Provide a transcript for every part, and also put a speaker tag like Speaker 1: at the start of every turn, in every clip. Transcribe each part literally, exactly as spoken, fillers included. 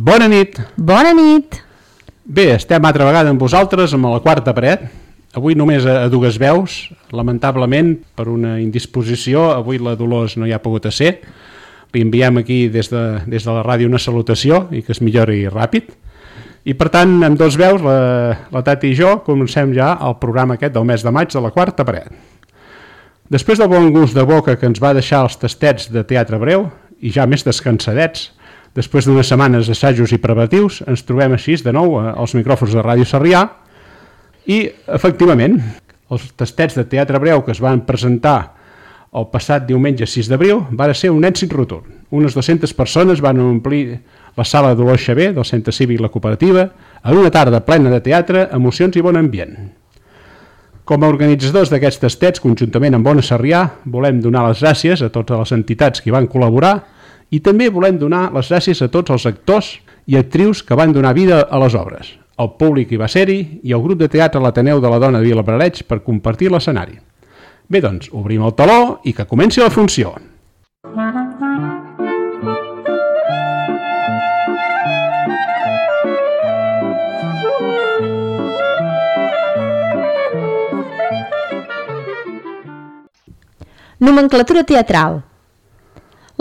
Speaker 1: Bona nit.
Speaker 2: Bona nit.
Speaker 1: Bé, estem altra vegada amb vosaltres, amb la quarta paret. Avui només a dues veus, lamentablement, per una indisposició, avui la Dolors no hi ha pogut ser. Li enviem aquí des de, des de la ràdio una salutació i que es millori ràpid. I per tant, amb dos veus, la, la Tati i jo, comencem ja el programa aquest del mes de maig de la quarta paret. Després del bon gust de boca que ens va deixar els tastets de teatre breu, i ja més descansadets, després d'unes setmanes d'assajos i preparatius, ens trobem així de nou als micròfons de Ràdio Sarrià i, efectivament, els tastets de teatre breu que es van presentar el passat diumenge sis d'abril van ser un èxit rotund. Unes dues-centes persones van omplir la sala Dolors Xavier del Centre Cívic La Cooperativa en una tarda plena de teatre, emocions i bon ambient. Com a organitzadors d'aquests tastets, conjuntament amb Ona Sarrià, volem donar les gràcies a totes les entitats que hi van col·laborar i també volem donar les gràcies a tots els actors i actrius que van donar vida a les obres, el públic hi va ser-hi i el grup de teatre l'Ateneu de la Dona de Vilabrareig per compartir l'escenari. Bé, doncs, obrim el teló i que comenci la funció.
Speaker 2: Nomenclatura teatral.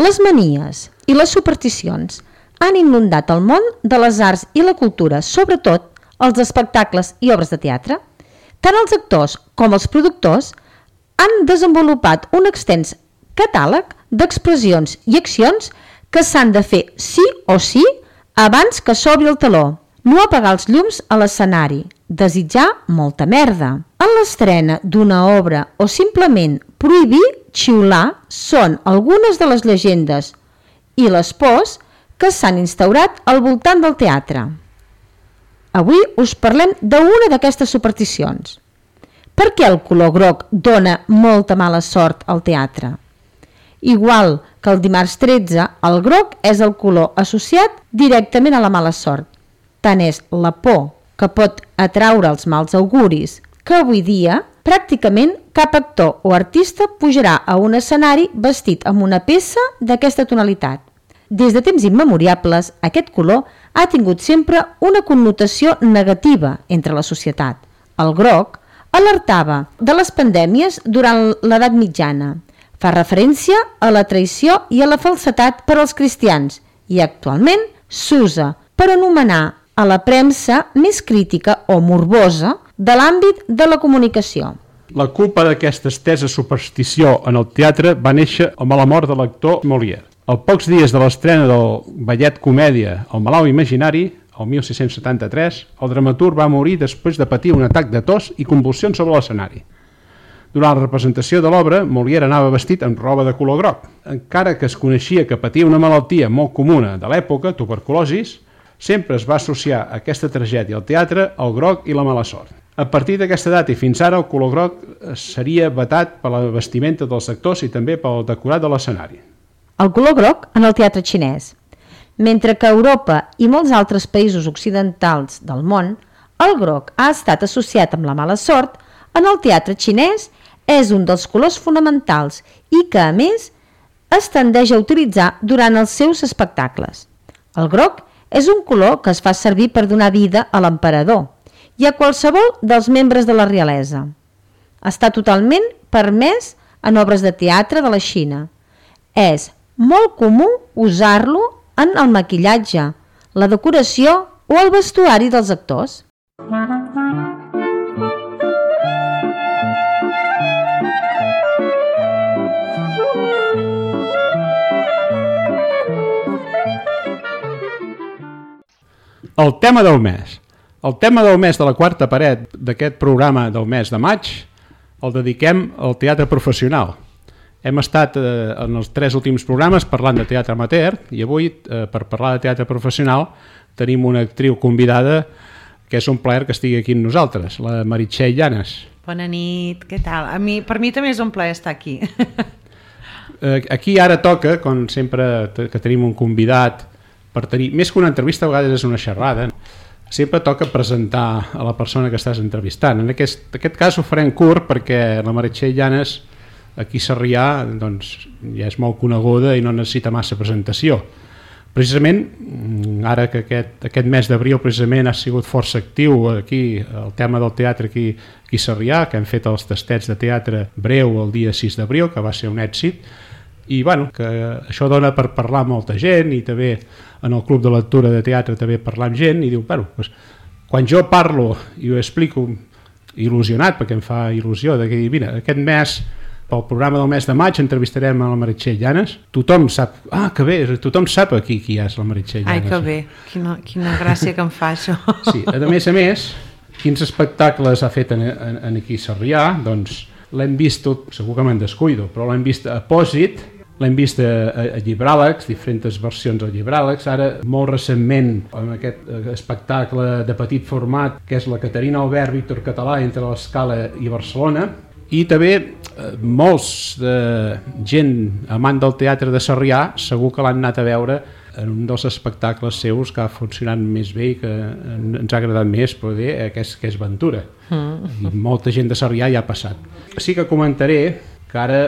Speaker 2: Les manies i les supersticions han inundat el món de les arts i la cultura, sobretot els espectacles i obres de teatre. Tant els actors com els productors han desenvolupat un extens catàleg d'expressions i accions que s'han de fer sí o sí abans que s'obri el teló. No apagar els llums a l'escenari, desitjar molta merda. En l'estrena d'una obra o simplement prohibir xiular són algunes de les llegendes i les pors que s'han instaurat al voltant del teatre. Avui us parlem d'una d'aquestes supersticions. Per què el color groc dona molta mala sort al teatre? Igual que el dimarts tretze, el groc és el color associat directament a la mala sort. Tant és la por que pot atraure els mals auguris que avui dia pràcticament cap actor o artista pujarà a un escenari vestit amb una peça d'aquesta tonalitat. Des de temps immemoriables, aquest color ha tingut sempre una connotació negativa entre la societat. El groc alertava de les pandèmies durant l'edat mitjana. Fa referència a la traïció i a la falsedat per als cristians i actualment s'usa per anomenar a la premsa més crítica o morbosa de l'àmbit de la comunicació.
Speaker 1: La culpa d'aquesta estesa superstició en el teatre va néixer amb la mort de l'actor Molière. Als pocs dies de l'estrena del ballet comèdia El malalt imaginari, el mil sis-cents setanta-tres, el dramaturg va morir després de patir un atac de tos i convulsions sobre l'escenari. Durant la representació de l'obra, Molière anava vestit amb roba de color groc. Encara que es coneixia que patia una malaltia molt comuna de l'època, tuberculosis, sempre es va associar aquesta tragèdia al teatre, al groc i la mala sort. A partir d'aquesta data i fins ara, el color groc seria vetat per la vestimenta dels actors i també pel decorat de l'escenari.
Speaker 2: El color groc en el teatre xinès. Mentre que a Europa i molts altres països occidentals del món, el groc ha estat associat amb la mala sort, en el teatre xinès és un dels colors fonamentals i que, a més, es tendeix a utilitzar durant els seus espectacles. El groc és un color que es fa servir per donar vida a l'emperador i a qualsevol dels membres de la realesa. Està totalment permès en obres de teatre de la Xina. És molt comú usar-lo en el maquillatge, la decoració o el vestuari dels actors.
Speaker 1: El tema del mes. El tema del mes de la quarta paret d'aquest programa del mes de maig el dediquem al teatre professional. Hem estat eh, en els tres últims programes parlant de teatre amateur i avui, eh, per parlar de teatre professional, tenim una actriu convidada que és un plaer que estigui aquí amb nosaltres, la Meritxell Llanes.
Speaker 3: Bona nit, què tal? A mi, per mi també és un plaer estar aquí.
Speaker 1: eh, aquí ara toca, com sempre que tenim un convidat, per tenir, més que una entrevista, a vegades és una xerrada, sempre toca presentar a la persona que estàs entrevistant. En aquest, aquest cas ho farem curt perquè la Meritxell Llanes aquí a Sarrià doncs, ja és molt coneguda i no necessita massa presentació. Precisament, ara que aquest, aquest mes d'abril precisament ha sigut força actiu aquí, el tema del teatre aquí, aquí a Sarrià, que hem fet els tastets de teatre breu el dia sis d'abril, que va ser un èxit, i bueno, que això dona per parlar amb molta gent, i també en el club de lectura de teatre també parlar amb gent, i diu, bueno, doncs, quan jo parlo i ho explico il·lusionat, perquè em fa il·lusió, de que, mira, aquest mes, pel programa del mes de maig entrevistarem a la Meritxell Llanes. Tothom sap, ah, que bé, tothom sap aquí qui és la Meritxell Llanes.
Speaker 3: Ai, que bé, quina, quina gràcia que em fa això.
Speaker 1: Sí, a més a més, quins espectacles ha fet en, en, en aquí a Sarrià? Doncs l'hem vist tot, segur que me'n descuido, però l'hem vist a Pòsit, l'hem vist a, a, a Llibràlegs, diferents versions al Llibràlegs, ara molt recentment amb aquest espectacle de petit format que és la Caterina Albert, Víctor Català entre l'Escala i Barcelona, i també eh, molts de gent amant del teatre de Sarrià segur que l'han anat a veure en un dels espectacles seus que ha funcionat més bé i que ens ha agradat més, però bé, que és, que és Ventura. Mm. I molta gent de Sarrià ja ha passat. Sí que comentaré que ara,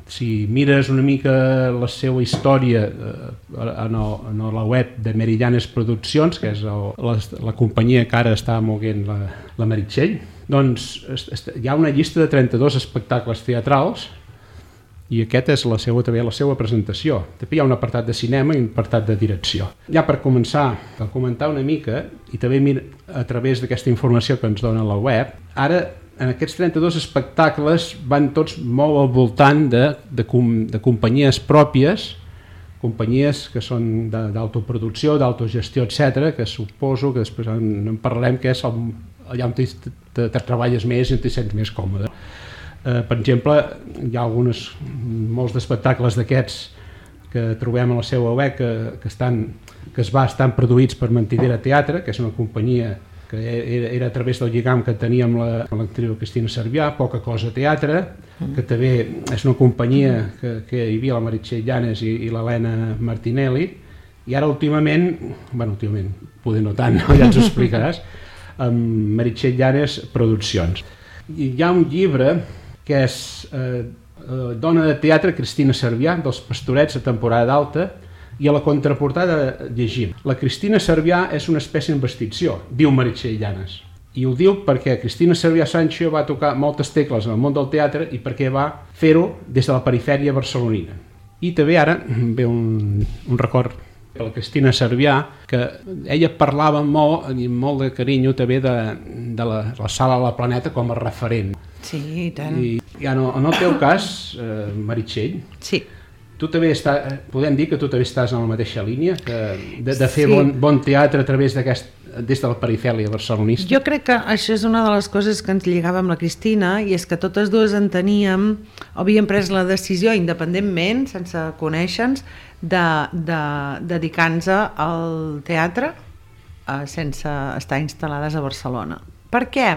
Speaker 1: si mires una mica la seva història eh, en, el, en la web de Merillanes Produccions, que és el, la, la companyia que ara està moguent la, la Meritxell, doncs hi ha una llista de trenta-dos espectacles teatrals i aquest és la seva, també la seva presentació. També hi ha un apartat de cinema i un apartat de direcció. Ja per començar a comentar una mica, i també a través d'aquesta informació que ens dona la web, ara en aquests trenta-dos espectacles van tots molt al voltant de, de, com, de companyies pròpies, companyies que són d'autoproducció, d'autogestió, etcètera, que suposo que després en, en parlarem, que és el, allà on te, te, te treballes més i te sents més còmode. Eh, per exemple, hi ha alguns, molts d'espectacles d'aquests que trobem a la seva web que, que, estan, que es va estan produïts per Mentidera Teatre, que és una companyia que era, era a través del lligam que teníem la, l'actriu Cristina Cervià, Poca Cosa Teatre, que també és una companyia que, que hi havia la Meritxell Llanes i, i l'Helena Martinelli, i ara últimament, bueno, últimament, poder no tant, no? Ja ens ho explicaràs, amb Meritxell Llanes Produccions. I hi ha un llibre que és eh, Dona de Teatre, Cristina Cervià, dels Pastorets a temporada d'alta, i a la contraportada llegim: la Cristina Cervià és una espècie d'investició, diu Meritxell Llanes. I ho diu perquè Cristina Cervià Sancho va tocar moltes tecles en el món del teatre i perquè va fer-ho des de la perifèria barcelonina. I també ara ve un, un record per la Cristina Cervià, que ella parlava molt, i molt de carinyo també de, de la, la Sala de la Planeta com a referent.
Speaker 3: Sí, i tant.
Speaker 1: I ja no, en el teu cas, eh, Meritxell,
Speaker 3: sí.
Speaker 1: Tu també està, podem dir que tu també estàs en la mateixa línia, que de, de fer sí. bon, bon teatre a través d'aquest, des de la perifèria barcelonista?
Speaker 3: Jo crec que això és una de les coses que ens lligava amb la Cristina, i és que totes dues enteníem, havíem pres la decisió independentment, sense conèixer-nos, de, de dedicar-nos al teatre eh, sense estar instal·lades a Barcelona. Per què?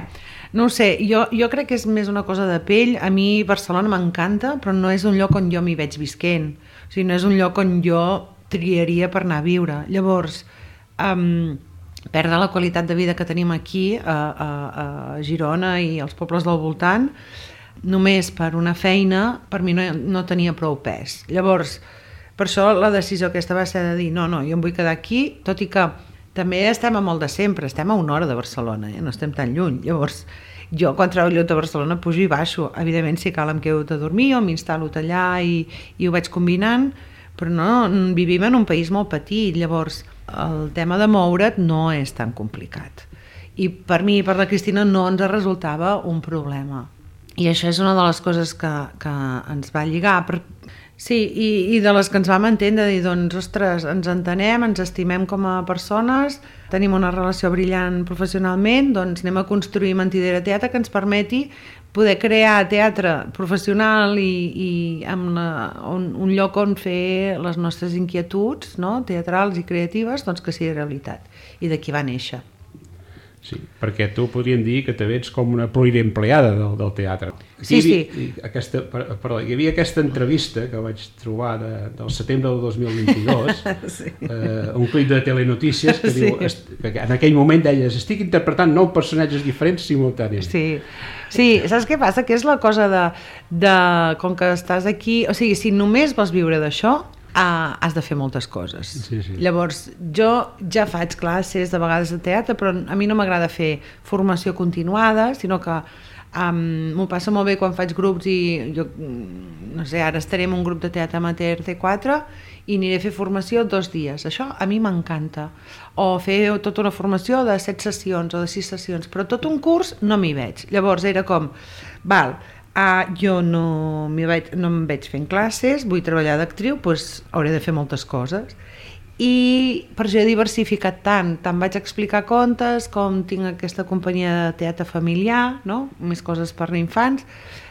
Speaker 3: No ho sé, jo, jo crec que és més una cosa de pell. A mi Barcelona m'encanta, però no és un lloc on jo m'hi veig visquent. O sigui, no és un lloc on jo triaria per anar a viure. Llavors, um, perdre la qualitat de vida que tenim aquí a, a, a Girona i als pobles del voltant, només per una feina, per mi no, no tenia prou pes. Llavors, per això la decisió aquesta va ser de dir no, no, jo em vull quedar aquí, tot i que també estem a molt de sempre, estem a una hora de Barcelona, eh? No estem tan lluny. Llavors, jo quan treballo a Barcelona pujo i baixo. Evidentment, si cal em quedo a dormir o m'instal·lo allà i, i ho vaig combinant, però no, vivim en un país molt petit, llavors el tema de moure't no és tan complicat. I per mi i per la Cristina no ens resultava un problema. I això és una de les coses que, que ens va lligar. Per... Sí, i, i de les que ens vam entendre, de dir, doncs, ostres, ens entenem, ens estimem com a persones, tenim una relació brillant professionalment, doncs anem a construir Mentidera Teatre que ens permeti poder crear teatre professional i, i amb la, un, un lloc on fer les nostres inquietuds, no?, teatrals i creatives, doncs que sigui realitat. I d'aquí va néixer.
Speaker 1: Sí, perquè tu podríem dir que també ets com una pluriempleada del, del teatre.
Speaker 3: Sí, sí.
Speaker 1: Hi, aquesta, perdó, hi havia aquesta entrevista que vaig trobar de, del setembre del dos mil vint-i-dos, sí. eh, un clip de Telenotícies que, sí. diu, est, que en aquell moment deies estic interpretant nou personatges diferents simultàniament.
Speaker 3: Sí. Sí, saps què passa? Que és la cosa de, de com que estàs aquí, o sigui, si només vols viure d'això, Uh, has de fer moltes coses.
Speaker 1: Sí, sí.
Speaker 3: Llavors, jo ja faig classes de vegades de teatre, però a mi no m'agrada fer formació continuada, sinó que um, m'ho passa molt bé quan faig grups i jo, no sé, ara estaré en un grup de teatre amateur T quatre i aniré a fer formació dos dies. Això a mi m'encanta. O fer tota una formació de set sessions o de sis sessions, però tot un curs no m'hi veig. Llavors era com, val, Uh, jo no, veig, no em veig fent classes, vull treballar d'actriu, doncs hauré de fer moltes coses. I per això he diversificat tant, tant vaig explicar contes, com tinc aquesta companyia de teatre familiar, no? Més coses per infants,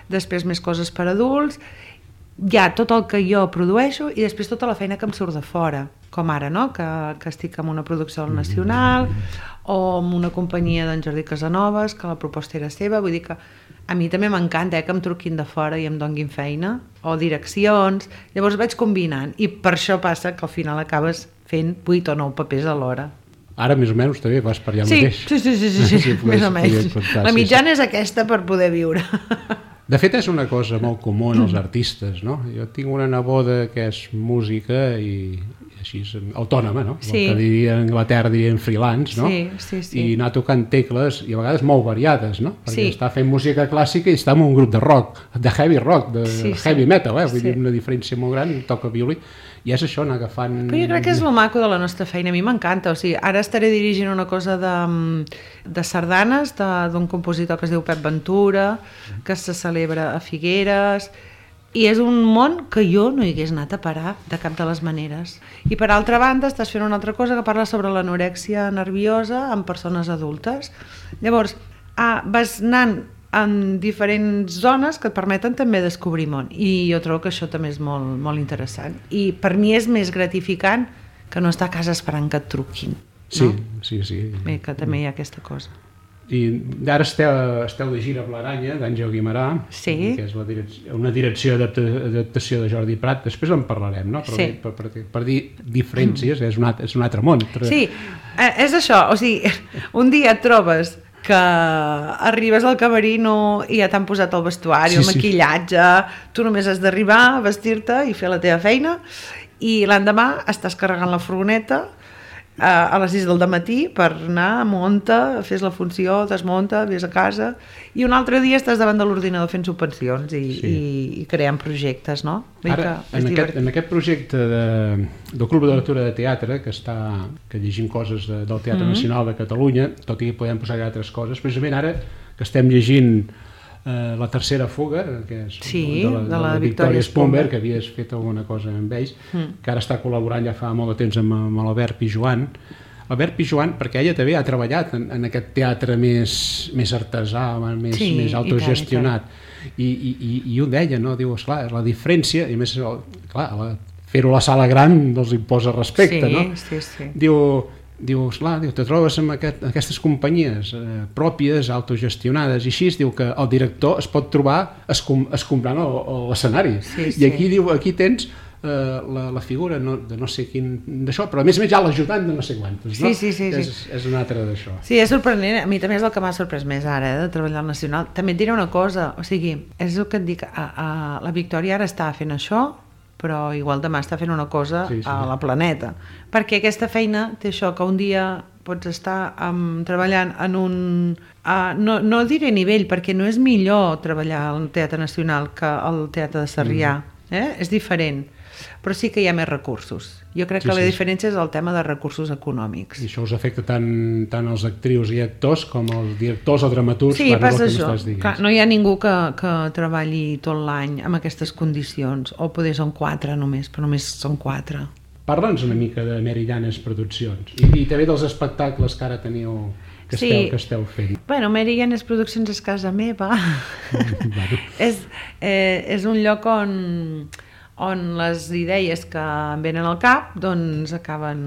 Speaker 3: després més coses per adults, hi ha tot el que jo produeixo i després tota la feina que em surt de fora, com ara, no? que, que estic en una producció al Nacional o amb una companyia d'en Jordi Casanovas, que la proposta era seva, vull dir que a mi també m'encanta eh, que em truquin de fora i em donguin feina, o direccions, llavors vaig combinant, i per això passa que al final acabes fent vuit o nou papers alhora.
Speaker 1: Ara més o menys també vas per allà
Speaker 3: sí,
Speaker 1: mateix.
Speaker 3: Sí, sí, sí, sí, sí, sí més o menys. La mitjana sí, sí. és aquesta per poder viure.
Speaker 1: De fet és una cosa molt comú en els artistes, no? Jo tinc una neboda que és música i així autònoma, no?
Speaker 3: Sí.
Speaker 1: El que diria a Anglaterra dirien freelance, no?
Speaker 3: Sí, sí, sí.
Speaker 1: I anar tocant tecles i a vegades molt variades, no? Perquè
Speaker 3: sí.
Speaker 1: està fent música clàssica i està en un grup de rock, de heavy rock, de
Speaker 3: sí,
Speaker 1: heavy
Speaker 3: sí.
Speaker 1: metal, eh? Vull
Speaker 3: sí.
Speaker 1: dir, una diferència molt gran, toca violí, i és això, anar agafant...
Speaker 3: Però jo crec que és el maco de la nostra feina, a mi m'encanta, o sigui, ara estaré dirigint una cosa de, de sardanes d'un compositor que es diu Pep Ventura, que se celebra a Figueres, i és un món que jo no hi hagués anat a parar de cap de les maneres. I per altra banda estàs fent una altra cosa que parla sobre l'anorèxia nerviosa en persones adultes. Llavors, ah, vas anant en diferents zones que et permeten també descobrir món, i jo trobo que això també és molt, molt interessant, i per mi és més gratificant que no estar a casa esperant que et truquin, no?
Speaker 1: Sí, sí, sí.
Speaker 3: Bé, que també hi ha aquesta cosa.
Speaker 1: I ara esteu, esteu de gira amb l'Aranya, d'Àngel Guimerà,
Speaker 3: sí.
Speaker 1: que és la direcció, una direcció d'adaptació de Jordi Prat, després en parlarem, no? Però
Speaker 3: sí.
Speaker 1: per, per, per dir diferències, és un altre, és un altre món.
Speaker 3: Sí, és això, o sigui, un dia et trobes que arribes al camerino i ja t'han posat el vestuari, sí, el maquillatge, sí. Tu només has d'arribar, vestir-te i fer la teva feina, i l'endemà estàs carregant la furgoneta a les sis del matí per anar, munta, fes la funció, desmunta, vés a casa, i un altre dia estàs davant de l'ordinador fent subvencions i, sí. i, i creant projectes, no?
Speaker 1: Ara, en aquest, en aquest projecte de, del Club de Lectura de Teatre, que està que llegim coses de, del Teatre mm-hmm. Nacional de Catalunya, tot i que podem posar altres coses, precisament ara que estem llegint Uh, la tercera fuga, que és
Speaker 3: sí,
Speaker 1: de la,
Speaker 3: de la,
Speaker 1: de la Victòria Spumber, que havies fet alguna cosa amb ells, mm. que ara està col·laborant ja fa molt de temps amb, amb l'Albert Pijuan. Albert Pijuan, perquè ella també ha treballat en, en aquest teatre més, més artesà, més,
Speaker 3: sí,
Speaker 1: més autogestionat. I, i, i, i ho deia, no? Diu, esclar, la diferència, i a més, clar, fer-ho a la sala gran els imposa respecte,
Speaker 3: sí,
Speaker 1: no?
Speaker 3: Sí, sí.
Speaker 1: Diu, diu, esclar, diu, te trobes amb aquest, aquestes companyies eh, pròpies, autogestionades, i així diu que el director es pot trobar escom, escombrant l'escenari.
Speaker 3: Sí, sí.
Speaker 1: I aquí diu, aquí tens eh, la, la figura no, de no sé quin d'això, però a més a més ja l'ajudant de no sé quantes, no?
Speaker 3: Sí, sí, sí,
Speaker 1: és,
Speaker 3: sí.
Speaker 1: és un altre d'això.
Speaker 3: Sí, és sorprenent, a mi també és el que m'ha sorprès més ara, eh, de treballar al Nacional. També et diré una cosa, o sigui, és el que et dic, a, a, la Victòria ara està fent això, però igual demà està fent una cosa sí, sí. a la Planeta, perquè aquesta feina té això, que un dia pots estar um, treballant en un... Uh, no, no diré nivell, perquè no és millor treballar al Teatre Nacional que al Teatre de Sarrià, mm. eh? És diferent, però sí que hi ha més recursos. Jo crec sí, que la sí. diferència és el tema de recursos econòmics.
Speaker 1: I això us afecta tant, tant als actrius i actors com als directors o dramaturgs?
Speaker 3: Sí, passa això. Clar, no hi ha ningú que, que treballi tot l'any amb aquestes condicions, o poder són quatre només, però només són quatre.
Speaker 1: Parla'ns una mica de Merillanes Produccions i, i també dels espectacles que ara teniu, que esteu, sí. que esteu fent.
Speaker 3: Bueno, Merillanes Produccions és casa meva. bueno. és, eh, és un lloc on... on les idees que em venen al cap, doncs acaben,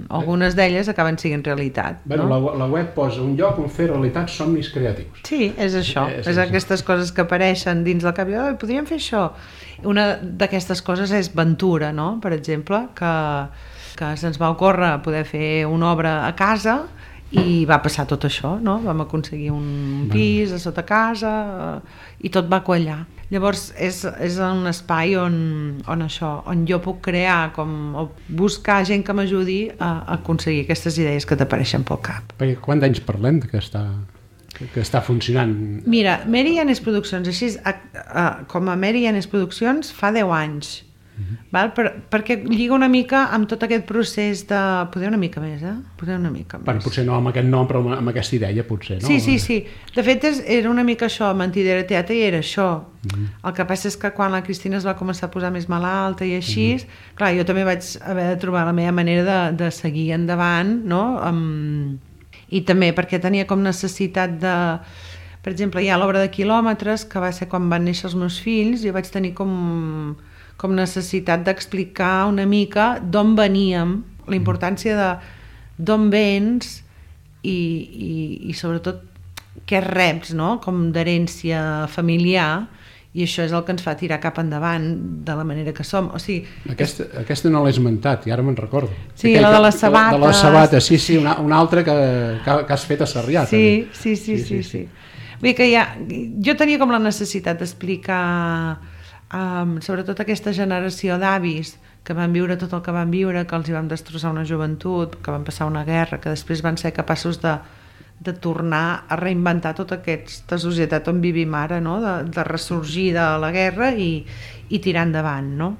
Speaker 3: algunes d'elles acaben sent realitat.
Speaker 1: Bueno,
Speaker 3: no?
Speaker 1: la, la web posa un lloc on fer realitat somnis creatius.
Speaker 3: Sí, és això, és, és, és aquestes coses que apareixen dins del cap, i oh, podríem fer això. Una d'aquestes coses és Ventura, no? Per exemple, que, que se'ns va ocórrer poder fer una obra a casa i va passar tot això, no? Vam aconseguir un pis a sota casa i tot va quallar. Llavors és, és un espai on, on això, on jo puc crear com, o buscar gent que m'ajudi a, a aconseguir aquestes idees que t'apareixen pel cap.
Speaker 1: Perquè quants anys parlem que està, que està funcionant?
Speaker 3: Mira, Mary Yanes Produccions, així, a, a, com a Mary Yanes Produccions fa deu anys. Val? Per, perquè lliga una mica amb tot aquest procés de... Poder una mica més, eh? Poder una mica més.
Speaker 1: Bueno, potser no amb aquest nom, però amb aquesta idea, potser, no?
Speaker 3: Sí, sí, sí. De fet, és, era una mica això, Mentidera Teatre, i era això. Mm-hmm. El que passa és que quan la Cristina es va començar a posar més malalta i així, mm-hmm. clar, jo també vaig haver de trobar la meva manera de, de seguir endavant, no? Um, I també perquè tenia com necessitat de... Per exemple, hi ha l'obra de Quilòmetres, que va ser quan van néixer els meus fills, i jo vaig tenir com... com necessitat d'explicar una mica d'on veníem, la importància de d'on vens i, i, i sobretot què reps, no? Com d'herència familiar, i això és el que ens fa tirar cap endavant de la manera que som. O sigui,
Speaker 1: aquesta, aquesta no l'he esmentat, i ara me'n recordo.
Speaker 3: Sí, Aquell, la de les sabates.
Speaker 1: De les sabates, sí, sí, una, una altra que, que, que has fet a Sarrià.
Speaker 3: Sí, sí, sí, sí, sí, sí. Vull dir que ja, jo tenia com la necessitat d'explicar Um, sobretot aquesta generació d'avis que van viure tot el que van viure, que els hi vam destrossar una joventut, que van passar una guerra, que després van ser capaços de, de tornar a reinventar tota aquesta societat on vivim ara, no? de, de ressorgir de la guerra i, i tirar endavant, no?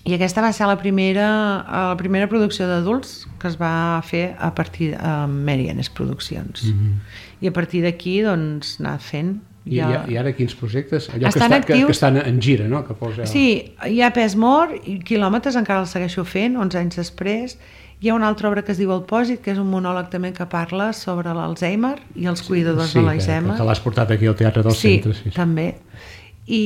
Speaker 3: I aquesta va ser la primera, la primera producció d'adults que es va fer a partir de Mary Yanes Produccions. Mm-hmm. I a partir d'aquí, doncs, anar fent.
Speaker 1: I, ja... I ara quins projectes? Allò que, està, que, que estan en gira, no? Que posa...
Speaker 3: Sí, hi ha Pes Mort, i Quilòmetres encara el segueixo fent, onze anys després. Hi ha una altra obra que es diu El Pòsit, que és un monòleg també que parla sobre l'Alzheimer i els cuidadors
Speaker 1: sí,
Speaker 3: de l'Alzheimer.
Speaker 1: Sí, que, que l'has portat aquí al Teatre del
Speaker 3: sí,
Speaker 1: Centre. Sí,
Speaker 3: també. I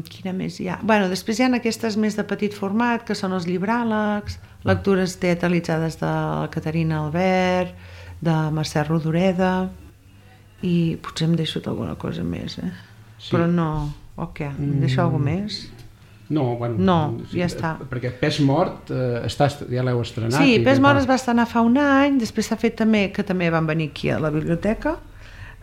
Speaker 3: quina més hi ha? Bueno, després hi ha aquestes més de petit format, que són els llibràlegs, lectures teatralitzades de la Caterina Albert, de Mercè Rodoreda... i potser em deixo alguna cosa més, eh? Sí. Però no, o què? Em deixo mm. alguna més?
Speaker 1: No, bueno,
Speaker 3: no,
Speaker 1: sí,
Speaker 3: ja està.
Speaker 1: Perquè Pes Mort eh, està, ja l'heu estrenat.
Speaker 3: Sí, Pes Mort es va estrenar fa un any, després s'ha fet també, que també van venir aquí a la biblioteca,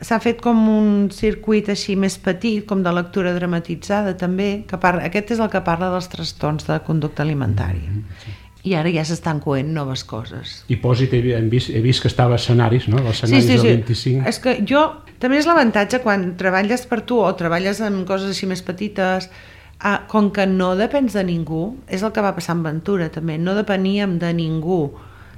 Speaker 3: s'ha fet com un circuit així més petit, com de lectura dramatitzada també, que parla, aquest és el que parla dels trastorns de conducta alimentària. Mm, sí. I ara ja s'estan coent noves coses.
Speaker 1: I Pòsit he, he, vist, he vist que estava a escenaris, no? Els escenaris
Speaker 3: sí, sí, sí.
Speaker 1: del vint-i-cinc.
Speaker 3: És que jo, també és l'avantatge quan treballes per tu o treballes en coses així més petites, eh, com que no depens de ningú, és el que va passar amb Ventura també, no depeníem de ningú.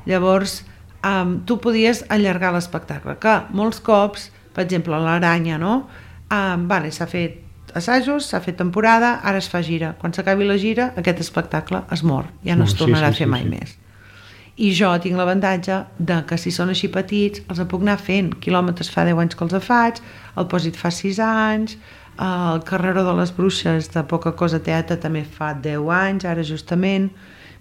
Speaker 3: Llavors, eh, tu podies allargar l'espectacle, que molts cops, per exemple, l'Aranya, no? Eh, vale, s'ha fet assajos, s'ha fet temporada, ara es fa gira. Quan s'acabi la gira, aquest espectacle es mor, ja no es tornarà sí, sí, a fer sí, mai sí. més. I jo tinc l'avantatge de que si són així petits, els puc anar fent. Quilòmetres fa deu anys que els faig, el Pòsit fa sis anys, el Carreró de les Bruixes de Poca Cosa Teatre també fa deu anys, ara justament.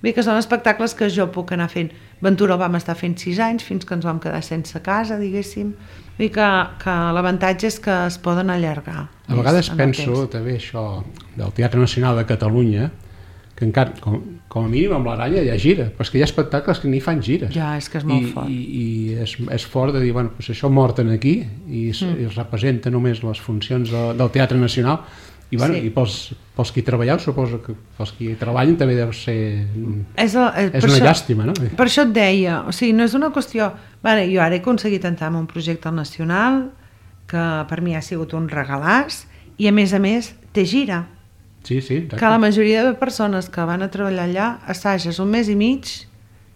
Speaker 3: Bé, que són espectacles que jo puc anar fent. Ventura el vam estar fent sis anys, fins que ens vam quedar sense casa, diguéssim. Vull dir que, que l'avantatge és que es poden allargar.
Speaker 1: A vegades penso també això del Teatre Nacional de Catalunya, que encara, com, com a mínim amb l'Aranya hi ha gira, però és que hi ha espectacles que ni fan gires.
Speaker 3: Ja, és que és molt
Speaker 1: I,
Speaker 3: fort.
Speaker 1: I, i és, és fort de dir, bueno, pues això morten aquí i es, mm. es representa només les funcions de, del Teatre Nacional. I, bueno, sí. i pels, pels qui treballeu, suposo que pels qui treballen també deu ser...
Speaker 3: És, el, és,
Speaker 1: és una
Speaker 3: això,
Speaker 1: llàstima, no?
Speaker 3: Per això et deia, o sigui, no és una qüestió... Vale, jo ara he aconseguit entrar en un projecte al Nacional que per mi ha sigut un regalàs i a més a més té gira.
Speaker 1: Sí, sí, exacte.
Speaker 3: Que la majoria de persones que van a treballar allà assages un mes i mig,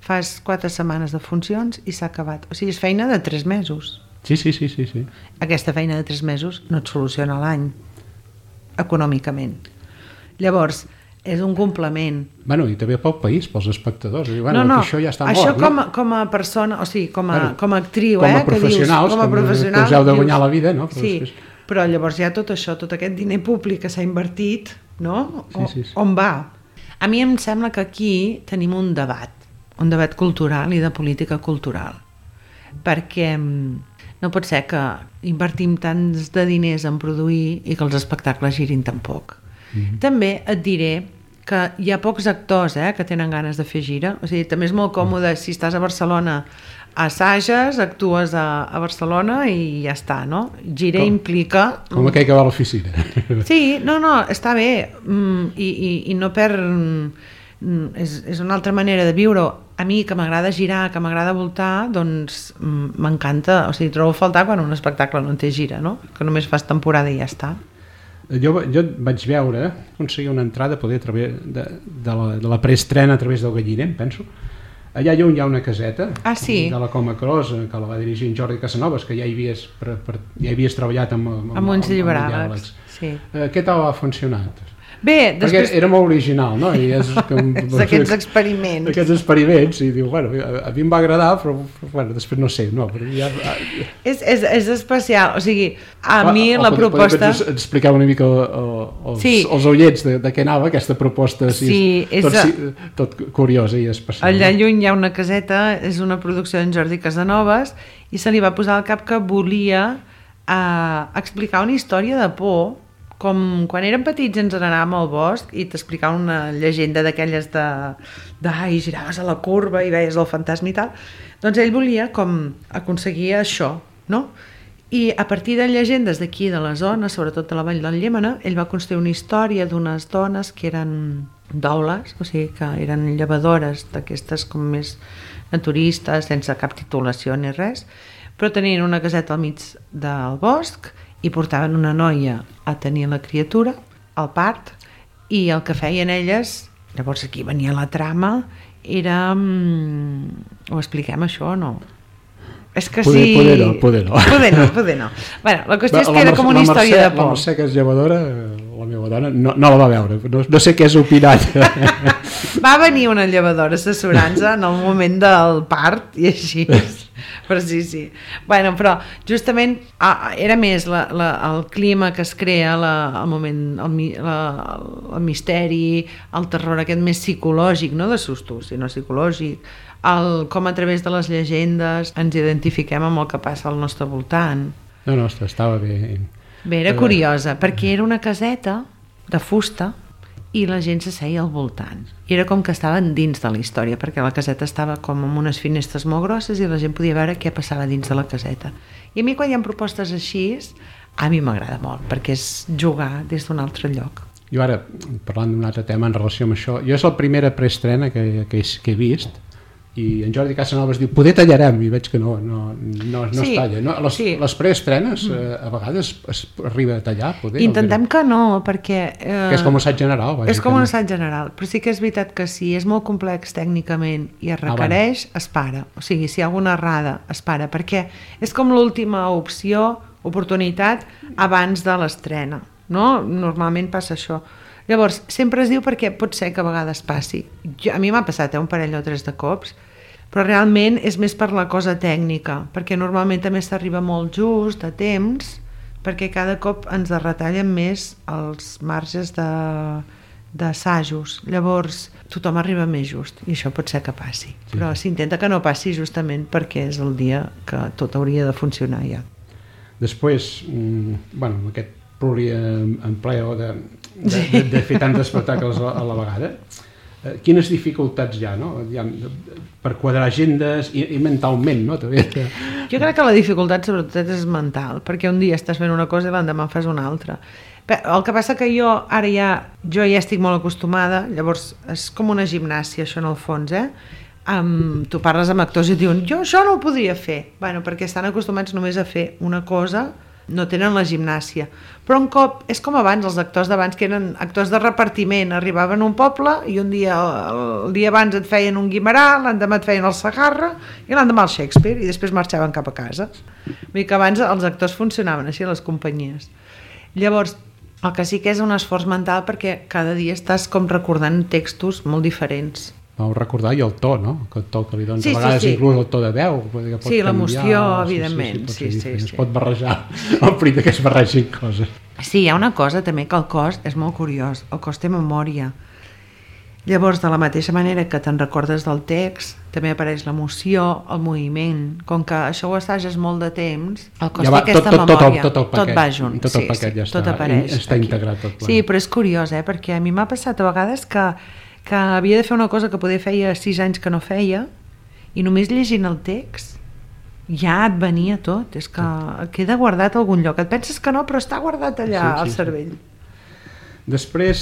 Speaker 3: fas quatre setmanes de funcions i s'ha acabat. O sigui, és feina de tres mesos.
Speaker 1: Sí, sí, sí, sí, sí.
Speaker 3: Aquesta feina de tres mesos no et soluciona l'any econòmicament. Llavors, és un complement.
Speaker 1: Bueno, i també pel país, pels espectadors. I, bueno,
Speaker 3: no, no,
Speaker 1: això ja està
Speaker 3: això
Speaker 1: mort,
Speaker 3: com,
Speaker 1: no?
Speaker 3: com a persona, o sigui, com a,
Speaker 1: bueno,
Speaker 3: com a actriu,
Speaker 1: com a
Speaker 3: eh,
Speaker 1: professionals,
Speaker 3: que dius, com a professional,
Speaker 1: que us heu de guanyar dius, la vida, no? Però
Speaker 3: sí,
Speaker 1: després...
Speaker 3: però llavors hi ha tot això, tot aquest diner públic que s'ha invertit, no?
Speaker 1: Sí, sí, sí.
Speaker 3: On va? A mi em sembla que aquí tenim un debat, un debat cultural i de política cultural, perquè no pot ser que invertim tants de diners en produir i que els espectacles girin tan poc. Mm-hmm. També et diré que hi ha pocs actors eh, que tenen ganes de fer gira, o sigui, també és molt còmode si estàs a Barcelona, assages, actues a, a Barcelona i ja està, no? Gira com, implica...
Speaker 1: Com aquell que va a l'oficina.
Speaker 3: Sí, no, no, està bé mm, i, i, i no per... Mm, és, és una altra manera de viure. A mi, que m'agrada girar, que m'agrada voltar, doncs mm, m'encanta, o sigui, trobo a faltar quan un espectacle no té gira, no? Que només fas temporada i ja està.
Speaker 1: Jo, jo vaig veure, aconseguir una entrada poder a través de, de, la, de la preestrena a través del Galliner, em penso. Allà lluny hi ha una caseta
Speaker 3: ah, sí?
Speaker 1: de la Coma Cros, que la va dirigir en Jordi Casanovas, que ja hi havies, per, per, ja havies treballat amb, amb,
Speaker 3: amb uns
Speaker 1: lliberàlegs.
Speaker 3: Sí.
Speaker 1: Eh, què tal ha funcionat?
Speaker 3: Bé, després...
Speaker 1: Perquè era molt original, no? I és com...
Speaker 3: aquests experiments.
Speaker 1: Aquests experiments, i diu, bueno, a, a mi em va agradar, però bueno, després no sé, no, però ja...
Speaker 3: És, és, és especial, o sigui, a ah, mi la
Speaker 1: podem,
Speaker 3: proposta...
Speaker 1: Podem explicar una mica els,
Speaker 3: sí.
Speaker 1: els oients de, de què anava aquesta proposta, així,
Speaker 3: sí, és
Speaker 1: tot,
Speaker 3: a...
Speaker 1: tot curiosa i especial.
Speaker 3: Allà lluny hi ha una caseta, és una producció d'en Jordi Casanovas, i se li va posar al cap que volia eh, explicar una història de por, com quan érem petits ens n'anàvem al bosc i t'explicaven una llegenda d'aquelles de, de ai, giraves a la curva i veies el fantasma i tal, doncs ell volia com aconseguir això, no? I a partir de llegendes d'aquí de la zona, sobretot de la Vall del Llémena, ell va construir una història d'unes dones que eren daules, o sigui que eren llevadores d'aquestes com més naturistes, sense cap titulació ni res, però tenien una caseta al mig del bosc i portaven una noia a tenir la criatura, al part, i el que feien elles, llavors aquí venia la trama, era... Ho expliquem això o no? És que
Speaker 1: poder,
Speaker 3: sí...
Speaker 1: Poder no, poder no.
Speaker 3: Poder no, poder no. Bueno, la qüestió és que
Speaker 1: la
Speaker 3: era com una
Speaker 1: Mercè,
Speaker 3: història de por.
Speaker 1: La Mercè, que és llevadora, la meva dona, no, no la va veure, no, no sé què és opinat.
Speaker 3: Va venir una llevadora assessorant-se en el moment del part i així... Però sí, sí. Bueno, però justament ah, era més la, la, el clima que es crea, la, el moment, el, la, el misteri, el terror aquest més psicològic, no de susto, sinó psicològic, el, com a través de les llegendes ens identifiquem amb el que passa al nostre voltant.
Speaker 1: No, no, estava bé.
Speaker 3: Bé, era curiosa, perquè era una caseta de fusta i la gent s'asseia al voltant. I era com que estaven dins de la història, perquè la caseta estava com amb unes finestres molt grosses i la gent podia veure què passava dins de la caseta. I a mi quan hi ha propostes així, a mi m'agrada molt, perquè és jugar des d'un altre lloc.
Speaker 1: Jo ara, parlant d'un altre tema en relació amb això, jo és la primera preestrena que, que, que he vist, i en Jordi Casanovas diu, poder tallarem, i veig que no, no, no, no sí, es talla. No? Les, sí. les preestrenes eh, a vegades es arriba a tallar, poder.
Speaker 3: Intentem que no, perquè... Eh,
Speaker 1: que és com un assaig general.
Speaker 3: És com un assaig general, però sí que és veritat que si és molt complex tècnicament i es requereix, ah, es para. O sigui, si hi ha alguna errada, es para, perquè és com l'última opció, oportunitat, abans de l'estrena. No? Normalment passa això. Llavors, sempre es diu perquè pot ser que a vegades passi. Jo, a mi m'ha passat eh, un parell o tres de cops, però realment és més per la cosa tècnica, perquè normalment també s'arriba molt just, a temps, perquè cada cop ens retallen més els marges de, d'assajos. Llavors, tothom arriba més just, i això pot ser que passi. Sí. Però s'intenta que no passi justament perquè és el dia que tot hauria de funcionar ja.
Speaker 1: Després, bueno, aquest pluriempleo de, de, de, de fer tants espectacles a, a la vegada, eh, quines dificultats hi ha, no? Hi ha per quadrar agendes i, i mentalment, no? També.
Speaker 3: Jo crec que la dificultat sobretot és mental, perquè un dia estàs fent una cosa i l'endemà fas una altra. El que passa que jo ara ja, jo ja estic molt acostumada, llavors és com una gimnàsia això en el fons, eh? Um, tu parles amb actors i diuen jo això no ho podria fer, bueno, perquè estan acostumats només a fer una cosa, no tenen la gimnàsia, però un cop és com abans, els actors d'abans que eren actors de repartiment, arribaven a un poble i un dia, el dia abans et feien un Guimerà, l'endemà et feien el Sagarra i l'endemà el Shakespeare i després marxaven cap a casa. Vull dir que abans els actors funcionaven així a les companyies. Llavors, el que sí que és un esforç mental perquè cada dia estàs com recordant textos molt diferents.
Speaker 1: Vau recordar i el to, no? El to que li dones,
Speaker 3: sí,
Speaker 1: a vegades
Speaker 3: sí, sí.
Speaker 1: inclús el to de veu. Que pot
Speaker 3: sí, l'emoció,
Speaker 1: sí,
Speaker 3: evidentment.
Speaker 1: Sí, sí, sí,
Speaker 3: sí, sí,
Speaker 1: es
Speaker 3: sí.
Speaker 1: pot barrejar, el perill que es barregin coses.
Speaker 3: Sí, hi ha una cosa també que el cos és molt curiós, el cos té memòria. Llavors, de la mateixa manera que te'n recordes del text, també apareix l'emoció, el moviment. Com que això ho assages molt de temps, el cos
Speaker 1: ja
Speaker 3: té
Speaker 1: va,
Speaker 3: aquesta
Speaker 1: tot, tot,
Speaker 3: memòria.
Speaker 1: Tot, tot, el paquet,
Speaker 3: tot va junt.
Speaker 1: Tot el
Speaker 3: sí,
Speaker 1: paquet
Speaker 3: sí,
Speaker 1: ja
Speaker 3: tot
Speaker 1: està,
Speaker 3: apareix
Speaker 1: està
Speaker 3: aquí.
Speaker 1: integrat tot plegat.
Speaker 3: Sí, però és curiós, eh? Perquè a mi m'ha passat a vegades que, que havia de fer una cosa que poder feia sis anys que no feia, i només llegint el text ja et venia tot. És que queda guardat a algun lloc. Et penses que no, però està guardat allà sí, sí, al cervell. Sí.
Speaker 1: Després,